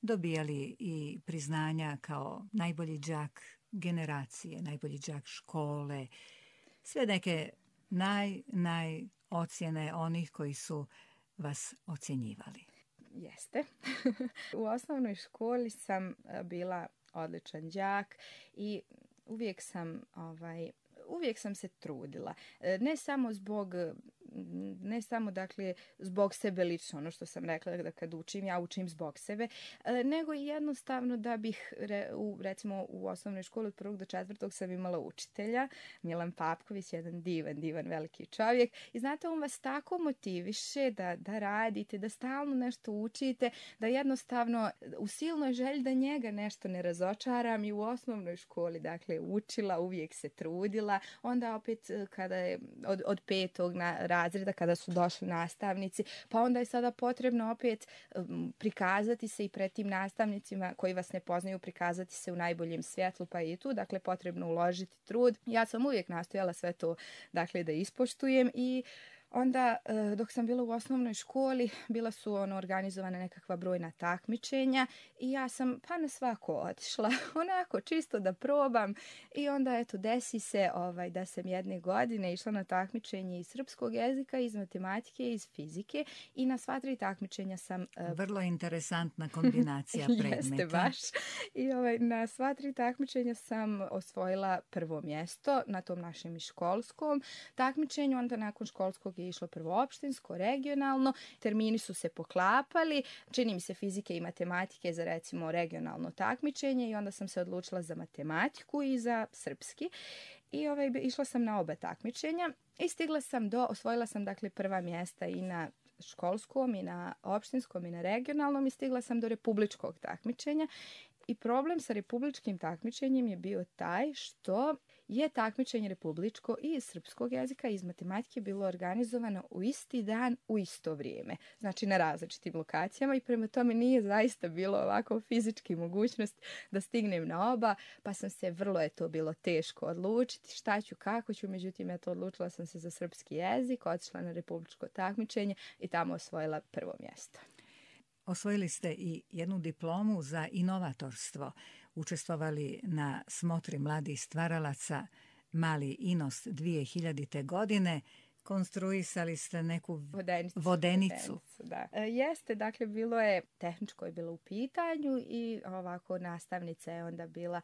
dobijali i priznanja kao najbolji đak generacije, najbolji đak škole, sve neke naj ocjene onih koji su vas ocjenjivali. Jeste. U osnovnoj školi sam bila odličan đak i uvijek sam se trudila. Ne samo dakle zbog sebe lično, ono što sam rekla da kad učim, ja učim zbog sebe, nego i jednostavno da bih, recimo u osnovnoj školi od 1. do 4. sam imala učitelja, Milan Papković, jedan divan veliki čovjek i znate, on vas tako motiviše da radite, da stalno nešto učite, da jednostavno u silnoj želji da njega nešto ne razočaram i u osnovnoj školi, dakle, učila, uvijek se trudila, onda opet kada je od 5. razreda kada su došli nastavnici, pa onda je sada potrebno opet prikazati se i pred tim nastavnicima koji vas ne poznaju, prikazati se u najboljem svjetlu, pa i tu, dakle, potrebno uložiti trud. Ja sam uvijek nastojala sve to, dakle, da ispoštujem i onda, dok sam bila u osnovnoj školi, bila su organizovane nekakva brojna takmičenja i ja sam pa na svako otišla, onako čisto da probam i onda, eto, desi se da sam jedne godine išla na takmičenje iz srpskog jezika, iz matematike, iz fizike i na sva 3 takmičenja sam... Vrlo interesantna kombinacija predmeta. Jeste baš. I na sva 3 takmičenja sam osvojila prvo mjesto na tom našem i školskom takmičenju, onda nakon školskog drugog je išlo prvo opštinsko, regionalno, termini su se poklapali, čini mi se fizike i matematike za recimo regionalno takmičenje i onda sam se odlučila za matematiku i za srpski i išla sam na oba takmičenja i osvojila sam dakle prva mjesta i na školskom i na opštinskom i na regionalnom i stigla sam do republičkog takmičenja. I problem sa republičkim takmičenjem je bio taj što je takmičenje republičko i iz srpskog jezika i iz matematike bilo organizovano u isti dan, u isto vrijeme. Znači na različitim lokacijama i prema tome nije zaista bilo ovako fizički mogućnost da stignem na oba, pa sam se vrlo je to bilo teško odlučiti šta ću, kako ću, međutim odlučila sam se za srpski jezik, otišla na republičko takmičenje i tamo osvojila prvo mjesto. Osvojili ste i jednu diplomu za inovatorstvo. Učestvovali na smotri mladih stvaralaca Mali Inost 2000. godine. Konstruisali ste neku vodenicu. Da. Jeste, dakle, bilo je, tehničko je bilo u pitanju i ovako nastavnica je onda bila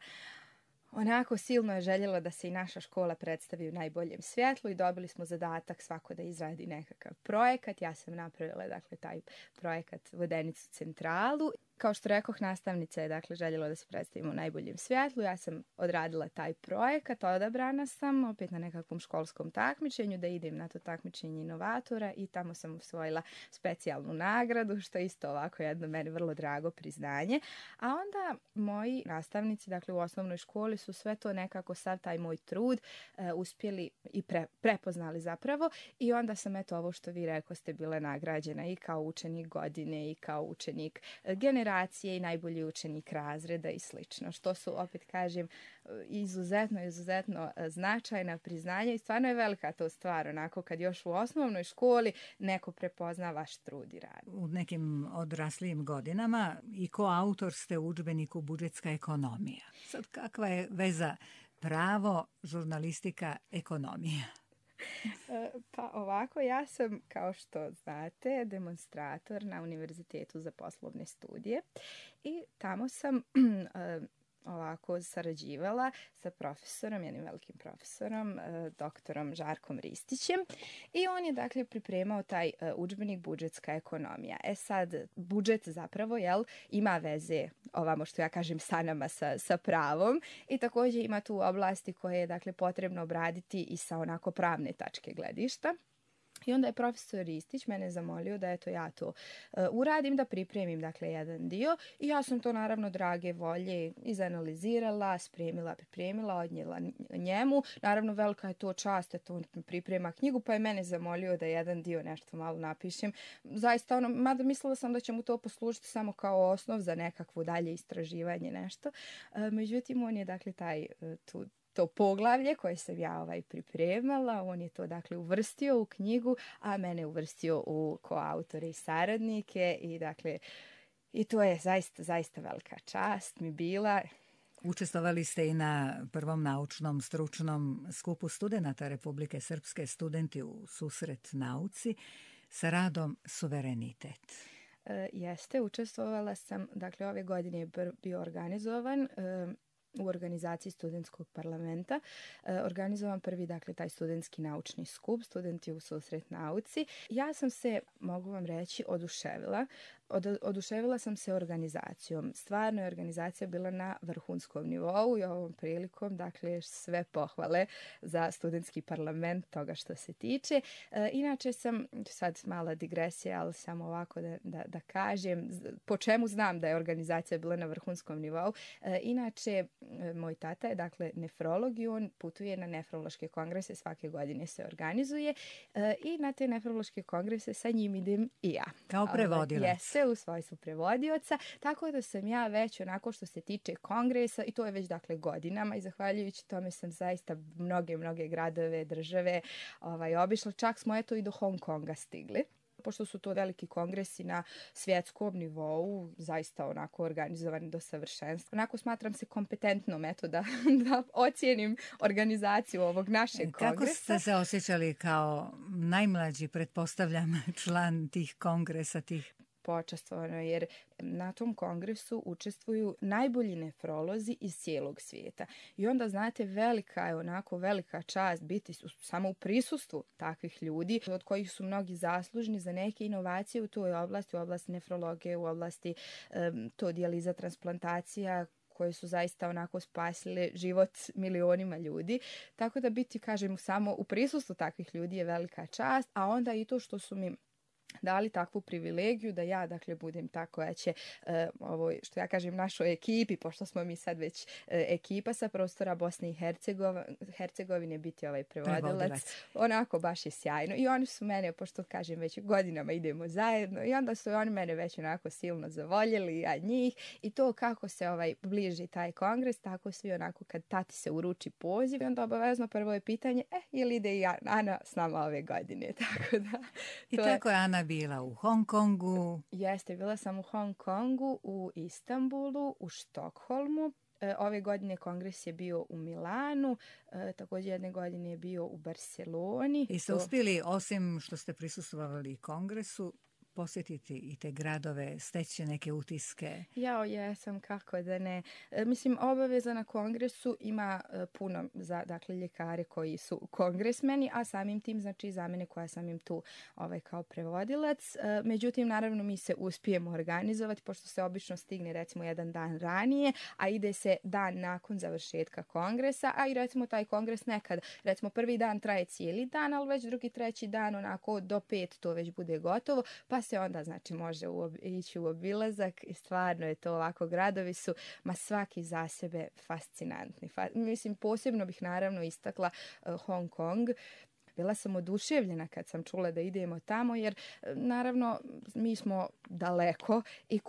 onako silno je željela da se i naša škola predstavi u najboljem svjetlu i dobili smo zadatak svako da izradi nekakav projekat. Ja sam napravila dakle taj projekat Vodenicu centralu. Kao što rekoh, nastavnica je dakle željela da se predstavimo u najboljem svjetlu. Ja sam odradila taj projekat, odabrana sam opet na nekakvom školskom takmičenju da idem na to takmičenje inovatora i tamo sam osvojila specijalnu nagradu, što je isto ovako jedno meni vrlo drago priznanje. A onda moji nastavnici, dakle u osnovnoj školi, su sve to nekako, sav taj moj trud uspjeli i prepoznali zapravo i onda sam ovo što vi rekoste bila nagrađena i kao učenik godine i kao učenik generacije i najbolji učenik razreda i slično, što su, opet kažem, izuzetno značajna priznanja i stvarno je velika to stvar, onako kad još u osnovnoj školi neko prepozna vaš trud i rad. U nekim odraslijim godinama i koautor ste u udžbeniku Budžetska ekonomija. Sad kakva je veza pravo, žurnalistika, ekonomija? Pa ovako, ja sam, kao što znate, demonstrator na Univerzitetu za poslovne studije i tamo sam ovako sarađivala sa profesorom, jednim velikim profesorom, doktorom Žarkom Ristićem i on je dakle pripremao taj udžbenik Budžetska ekonomija. Sad, budžet zapravo ima veze, ovamo što ja kažem, sa nama, sa pravom i također ima tu oblasti koje je dakle potrebno obraditi i sa onako pravne tačke gledišta. I onda je profesor Ristić mene zamolio da ja to uradim, da pripremim dakle jedan dio i ja sam to naravno drage volje izanalizirala, spremila, pripremila, odnijela njemu. Naravno velika je to čast da on priprema knjigu, pa je mene zamolio da jedan dio nešto malo napišem. Zaista mada mislila sam da će mu to poslužiti samo kao osnov za nekakvo dalje istraživanje nešto. Međutim, on je dakle to poglavlje koje sam ja pripremala, on je to dakle uvrstio u knjigu, a mene uvrstio u koautore i saradnike i dakle i to je zaista velika čast mi bila. Učestvovali ste i na prvom naučnom stručnom skupu studenata Republike Srpske, studenti u susret nauci sa radom Suverenitet. Jeste, učestvovala sam, dakle ove godine je bio organizovan u organizaciji studentskog parlamenta. Organizovan prvi, dakle, taj studentski naučni skup, studenti u susret nauci. Ja sam se, mogu vam reći, oduševila. Oduševila sam se organizacijom. Stvarno je organizacija bila na vrhunskom nivou i ovom prilikom, dakle, sve pohvale za studentski parlament toga što se tiče. Inače sam, sad mala digresija, ali samo ovako da kažem, po čemu znam da je organizacija bila na vrhunskom nivou. Inače, moj tata je, dakle, nefrolog i on putuje na nefrološke kongrese, svake godine se organizuje i na te nefrološke kongrese sa njim idem i ja. Kao prevodilac. Jeste, u svojstvu prevodioca, tako da sam ja već onako što se tiče kongresa i to je već dakle godinama i zahvaljujući tome sam zaista mnoge gradove, države obišla, čak smo i do Hong Konga stigli. Pošto su to veliki kongresi na svjetskom nivou, zaista onako organizovani do savršenstva. Onako smatram se kompetentnom da ocijenim organizaciju ovog našeg kongresa. Kako ste se osjećali kao najmlađi, pretpostavljam, član tih kongresa, tih počastvovano, jer na tom kongresu učestvuju najbolji nefrolozi iz cijelog svijeta. I onda, znate, velika čast biti samo u prisustvu takvih ljudi, od kojih su mnogi zaslužni za neke inovacije u toj oblasti, u oblasti nefrologije, u oblasti dijaliza, transplantacija, koje su zaista onako spasile život milionima ljudi. Tako da biti, kažem, samo u prisustvu takvih ljudi je velika čast, a onda i to što su mi dali takvu privilegiju da ja, dakle, budem ta koja će što ja kažem našoj ekipi, pošto smo mi sad već ekipa sa prostora Bosne i Hercegovine, biti prevodilac. Onako baš je sjajno. I oni su mene, pošto kažem već godinama idemo zajedno, i onda su oni mene već onako silno zavoljeli, ja njih. I to kako se bliži taj kongres, tako svi onako kad tati se uruči poziv, i onda obavezno prvo je pitanje, je li ide i Ana s nama ove godine? Tako da, I tako je Ana bila u Hong Kongu. Jeste, bila sam u Hong Kongu, u Istanbulu, u Štokholmu. Ove godine kongres je bio u Milanu, također jedne godine je bio u Barceloni. I ste uspjeli, osim što ste prisustvovali kongresu, posjetiti i te gradove, steći neke utiske? Ja, jesam, kako da ne. Mislim, obaveza na kongresu ima puno za, dakle, ljekare koji su kongresmeni, a samim tim, znači, za mene koja sam im tu kao prevodilac. Međutim, naravno, mi se uspijemo organizovati, pošto se obično stigne, recimo, jedan dan ranije, a ide se dan nakon završetka kongresa, a i, recimo, taj kongres nekad, recimo, prvi dan traje cijeli dan, ali već drugi, treći dan, onako, do 5 to već bude gotovo, pa se onda, znači, može ići u obilazak i stvarno je to ovako, gradovi su, svaki za sebe fascinantni. Mislim, posebno bih naravno istakla Hong Kong. Bila sam oduševljena kad sam čula da idemo tamo, jer naravno mi smo daleko i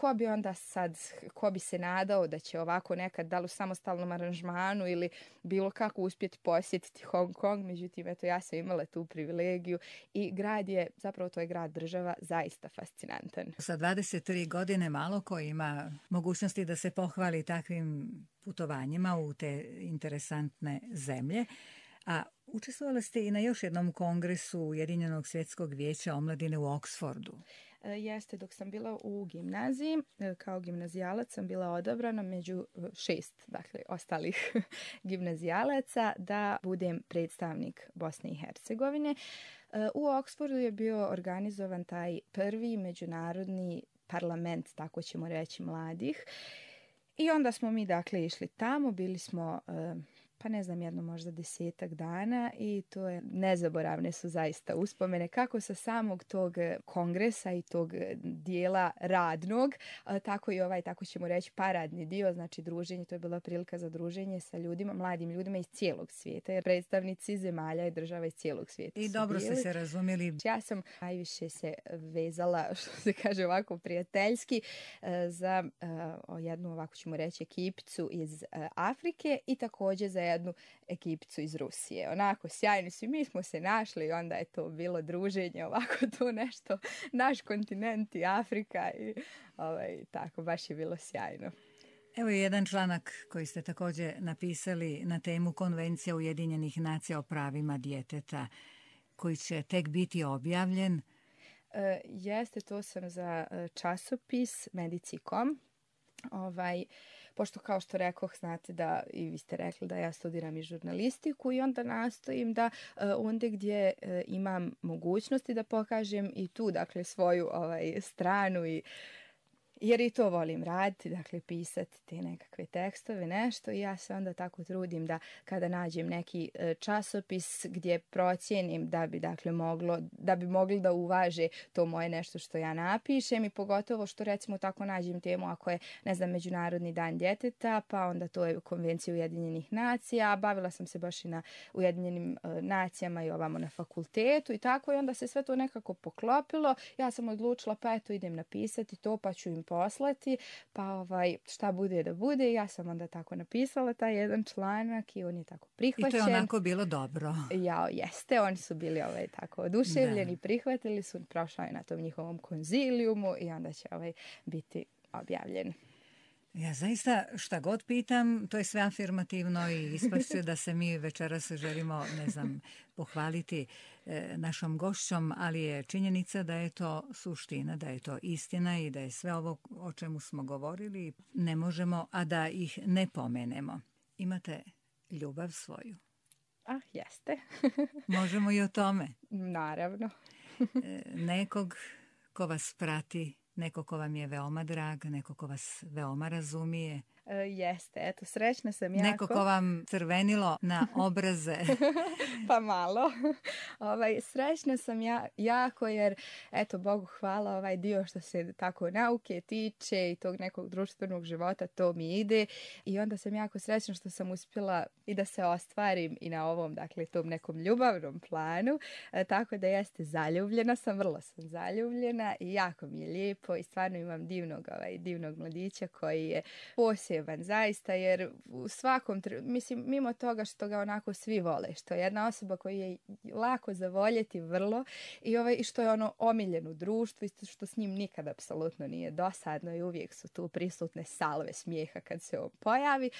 ko bi se nadao da će ovako nekad, da li u samostalnom aranžmanu ili bilo kako uspjeti posjetiti Hong Kong. Međutim, eto, ja sam imala tu privilegiju i grad je, zapravo to je grad država, zaista fascinantan. Sa 23 godine malo ko ima mogućnosti da se pohvali takvim putovanjima u te interesantne zemlje. A učestvovala ste i na još jednom kongresu Ujedinjenog svjetskog vijeća omladine u Oxfordu. Jeste, dok sam bila u gimnaziji, kao gimnazijalac sam bila odabrana među 6, dakle, ostalih gimnazijalaca da budem predstavnik Bosne i Hercegovine. U Oxfordu je bio organizovan taj prvi međunarodni parlament, tako ćemo reći, mladih. I onda smo mi, dakle, išli tamo, bili smo pa ne znam, jedno možda 10-ak dana i to je, nezaboravne su zaista uspomene kako sa samog tog kongresa i tog dijela radnog, tako i tako ćemo reći, paradni dio, znači druženje, to je bila prilika za druženje sa ljudima, mladim ljudima iz cijelog svijeta, jer predstavnici zemalja i država iz cijelog svijeta i dobro ste se razumjeli. Ja sam najviše se vezala, što se kaže ovako prijateljski, za jednu, ovako ćemo reći, ekipicu iz Afrike i također za jednu ekipicu iz Rusije. Onako, sjajni su i mi smo se našli i onda je to bilo druženje, ovako to nešto, naš kontinent i Afrika i tako, baš je bilo sjajno. Evo je jedan članak koji ste također napisali na temu Konvencija Ujedinjenih nacija o pravima djeteta, koji će tek biti objavljen. Jeste, to sam za časopis Medici.com. Pošto, kao što rekoh, znate da i vi ste rekli da ja studiram i žurnalistiku i onda nastojim da onda gdje imam mogućnosti da pokažem i tu, dakle, svoju stranu i jer i to volim raditi, dakle, pisati te nekakve tekstove, nešto, i ja se onda tako trudim da kada nađem neki časopis gdje procijenim da bi, dakle, mogli da uvaže to moje nešto što ja napišem, i pogotovo što, recimo, tako nađem temu ako je, ne znam, Međunarodni dan djeteta, pa onda to je Konvencija Ujedinjenih nacija, bavila sam se baš i na Ujedinjenim nacijama i ovamo na fakultetu i tako, i onda se sve to nekako poklopilo. Ja sam odlučila, pa eto, idem napisati to, pa ću im poslati, pa šta bude da bude. Ja sam onda tako napisala taj jedan članak i on je tako prihvaćen. I to je onako bilo dobro. Ja, jeste, oni su bili tako oduševljeni, prihvatili su, prošao je na tom njihovom konzilijumu i onda će biti objavljen. Ja zaista šta god pitam, to je sve afirmativno i ispašće da se mi večeras želimo, ne znam, pohvaliti našom gošćom, ali je činjenica da je to suština, da je to istina i da je sve ovo o čemu smo govorili ne možemo, a da ih ne pomenemo. Imate ljubav svoju. Jeste. Možemo i o tome. Naravno. Nekog ko vas prati, neko ko vam je veoma drag, neko ko vas veoma razumije. Jeste, eto, srećna sam jako. Neko ko vam crvenilo na obraze. Pa malo. Srećna sam jako jer, eto, Bogu hvala, ovaj dio što se tako nauke tiče i tog nekog društvenog života, to mi ide. I onda sam jako srećna što sam uspjela i da se ostvarim i na ovom, dakle, tom nekom ljubavnom planu. Tako da jeste, zaljubljena sam, vrlo sam zaljubljena i jako mi je lijepo i stvarno imam divnog mladića koji je poseban zaista, jer u svakom, mislim, mimo toga što ga onako svi vole, što je jedna osoba koju je lako zavoljeti vrlo i što je ono omiljen u društvu i što s njim nikad apsolutno nije dosadno i uvijek su tu prisutne salve smijeha kad se on pojavi.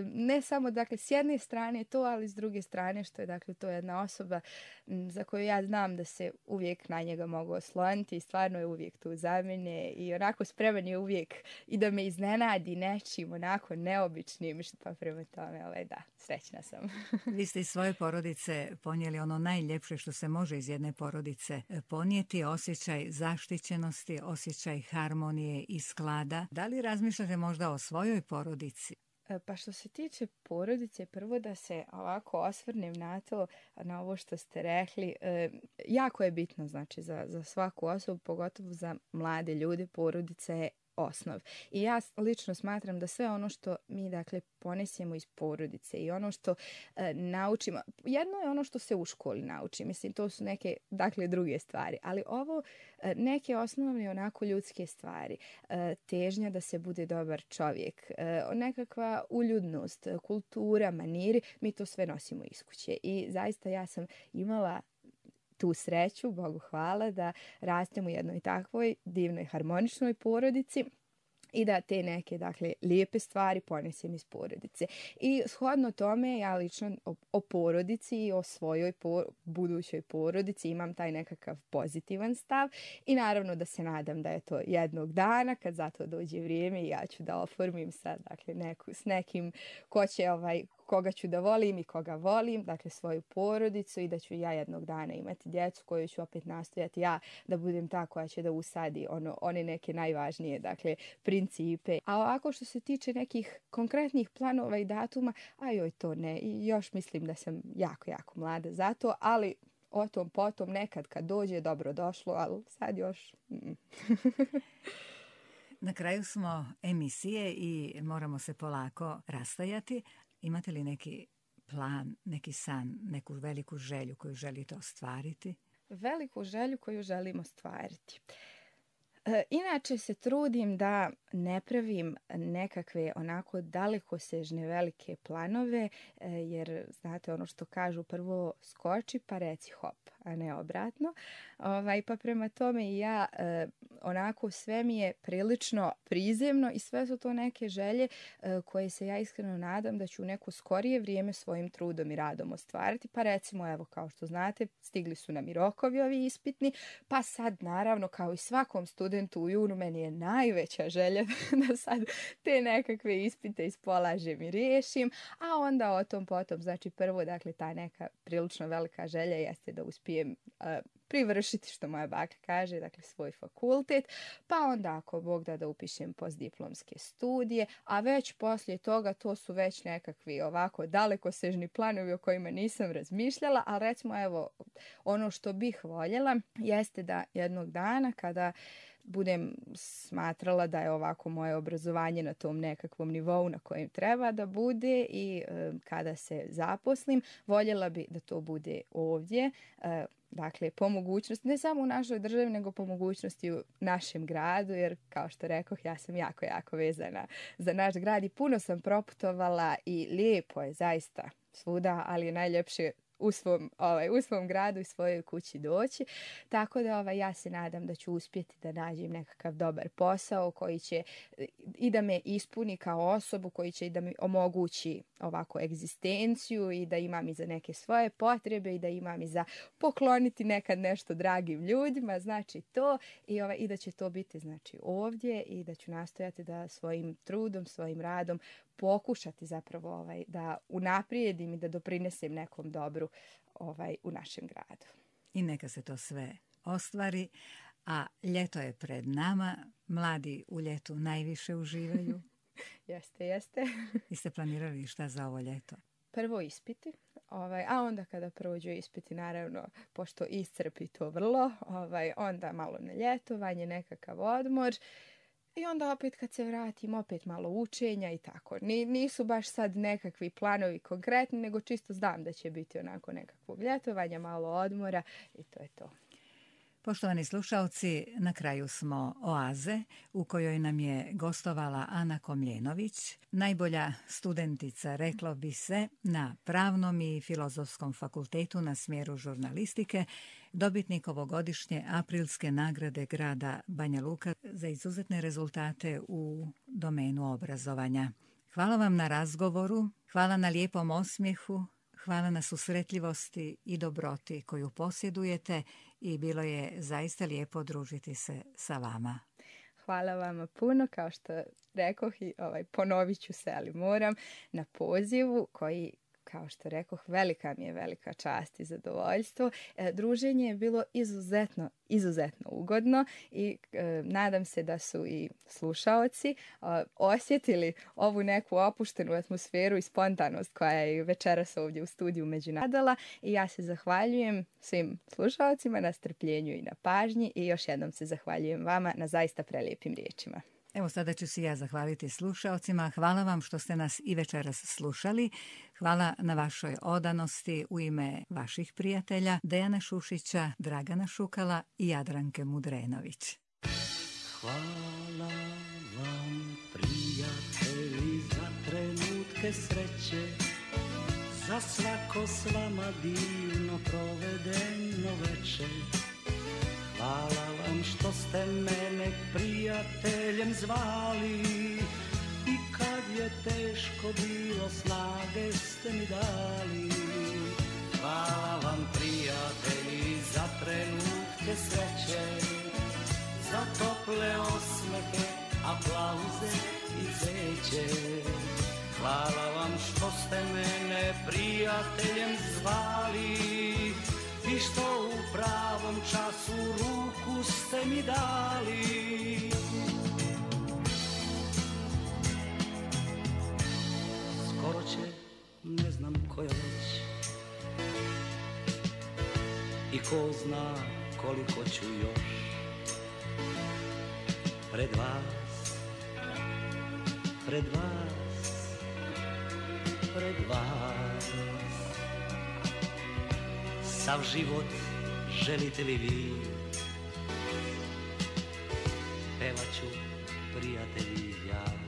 Ne samo, dakle, s jedne strane to, ali s druge strane što je, dakle, to jedna osoba za koju ja znam da se uvijek na njega mogu osloniti i stvarno je uvijek tu za mene i onako spreman je uvijek i da me iznenadi nečim onako neobičnim, pa prema tome, da, srećna sam. Vi ste iz svoje porodice ponijeli ono najljepše što se može iz jedne porodice ponijeti, osjećaj zaštićenosti, osjećaj harmonije i sklada. Da li razmišljate možda o svojoj porodici? Pa što se tiče porodice, prvo da se ovako osvrnem na to, na ovo što ste rekli, jako je bitno, znači, za svaku osobu, pogotovo za mlade ljude, porodica je osnov. I ja lično smatram da sve ono što mi, dakle, ponesemo iz porodice i ono što naučimo, jedno je ono što se u školi nauči, mislim, to su neke, dakle, druge stvari, ali ovo neke osnovne onako ljudske stvari, težnja da se bude dobar čovjek, nekakva uljudnost, kultura, maniri, mi to sve nosimo iz kuće i zaista ja sam imala tu sreću, Bogu hvala, da rastem u jednoj takvoj divnoj harmoničnoj porodici i da te neke, dakle, lijepe stvari ponesem iz porodice. I shodno tome ja lično o porodici i o svojoj budućoj porodici imam taj nekakav pozitivan stav i naravno da se nadam da je to jednog dana kad za to dođe vrijeme i ja ću da oformim sa, dakle, s nekim ko će koga ću da volim i koga volim, dakle svoju porodicu i da ću ja jednog dana imati djecu koju ću opet nastojati ja da budem ta koja će da usadi one neke najvažnije, dakle, principe. A ovako što se tiče nekih konkretnih planova i datuma, to ne. I još mislim da sam jako, jako mlada za to, ali o tom potom nekad kad dođe dobro došlo, ali sad još... Na kraju smo emisije i moramo se polako rastajati. Imate li neki plan, neki san, neku veliku želju koju želite ostvariti? Veliku želju koju želim ostvariti. Inače se trudim da ne pravim nekakve onako dalekosežne velike planove, jer znate ono što kažu, prvo skoči pa reci hop, a ne obratno. Pa prema tome i ja onako sve mi je prilično prizemno i sve su to neke želje koje se ja iskreno nadam da ću u neko skorije vrijeme svojim trudom i radom ostvariti. Pa recimo, evo, kao što znate, stigli su nam i rokovi ovi ispitni, pa sad naravno kao i svakom studentu u junu meni je najveća želja da sad te nekakve ispite ispolažem i riješim, a onda o tom potom, znači prvo, dakle, ta neka prilično velika želja jeste da uspijem privršiti, što moja baka kaže, dakle, svoj fakultet, pa onda ako Bog da upišem postdiplomske studije, a već poslije toga to su već nekakvi ovako dalekosežni planovi o kojima nisam razmišljala, ali recimo, evo, ono što bih voljela jeste da jednog dana kada budem smatrala da je ovako moje obrazovanje na tom nekakvom nivou na kojem treba da bude i kada se zaposlim, voljela bi da to bude ovdje, dakle, po mogućnosti, ne samo u našoj državi, nego po mogućnosti u našem gradu, jer kao što rekoh, ja sam jako, jako vezana za naš grad i puno sam proputovala i lijepo je zaista svuda, ali je najljepše u svom gradu i svojoj kući doći. Tako da ja se nadam da ću uspjeti da nađem nekakav dobar posao koji će i da me ispuni kao osobu, koji će i da mi omogući ovako egzistenciju i da imam i za neke svoje potrebe i da imam i za pokloniti nekad nešto dragim ljudima, znači to i da će to biti znači ovdje i da ću nastojati da svojim trudom, svojim radom pokušati zapravo da unaprijedim i da doprinesem nekom dobru u našem gradu. I neka se to sve ostvari, a ljeto je pred nama, mladi u ljetu najviše uživaju. Jeste. I ste planirali šta za ovo ljeto? Prvo ispiti, a onda kada prođu ispiti, naravno, pošto iscrpi to vrlo, onda malo na ljetovanje, nekakav odmor. I onda opet kad se vratim, opet malo učenja i tako. Nisu baš sad nekakvi planovi konkretni, nego čisto znam da će biti onako nekakvog ljetovanja, malo odmora i to je to. Poštovani slušalci, na kraju smo oaze u kojoj nam je gostovala Ana Komljenović, najbolja studentica, reklo bi se, na Pravnom i Filozofskom fakultetu na smjeru žurnalistike, dobitnik ovogodišnje aprilske nagrade grada Banja Luka za izuzetne rezultate u domenu obrazovanja. Hvala vam na razgovoru, hvala na lijepom osmijehu, hvala na susretljivosti i dobroti koju posjedujete i bilo je zaista lijepo družiti se sa vama. Hvala vam puno, kao što rekoh i ponovit ću se, ali moram, na pozivu koji, kao što rekoh, velika mi je velika čast i zadovoljstvo. Druženje je bilo izuzetno ugodno i nadam se da su i slušaoci osjetili ovu neku opuštenu atmosferu i spontanost koja je večeras ovdje u studiju Međunadala i ja se zahvaljujem svim slušaocima na strpljenju i na pažnji i još jednom se zahvaljujem vama na zaista prelijepim riječima. Evo sada ću se ja zahvaliti slušaocima. Hvala vam što ste nas i večeras slušali. Hvala na vašoj odanosti u ime vaših prijatelja Dejana Šušića, Dragana Šukala i Jadranke Mudrenović. Hvala vam, prijatelji, za trenutke sreće, za svako s vama divno provedeno večer. Hvala vam što ste mene prijateljem zvali i kad je teško bilo snage ste mi dali. Hvala vam, prijatelji, za trenutke sreće, za tople osmehe, aplauze i cveće. Hvala vam što ste mene prijateljem zvali i što u pravom času ruku ste mi dali. Skoro će, ne znam koja već, i ko zna koliko ću još pred vas, pred vas, pred vas. Sav život želite li vi, pevat ću, prijatelji, ja.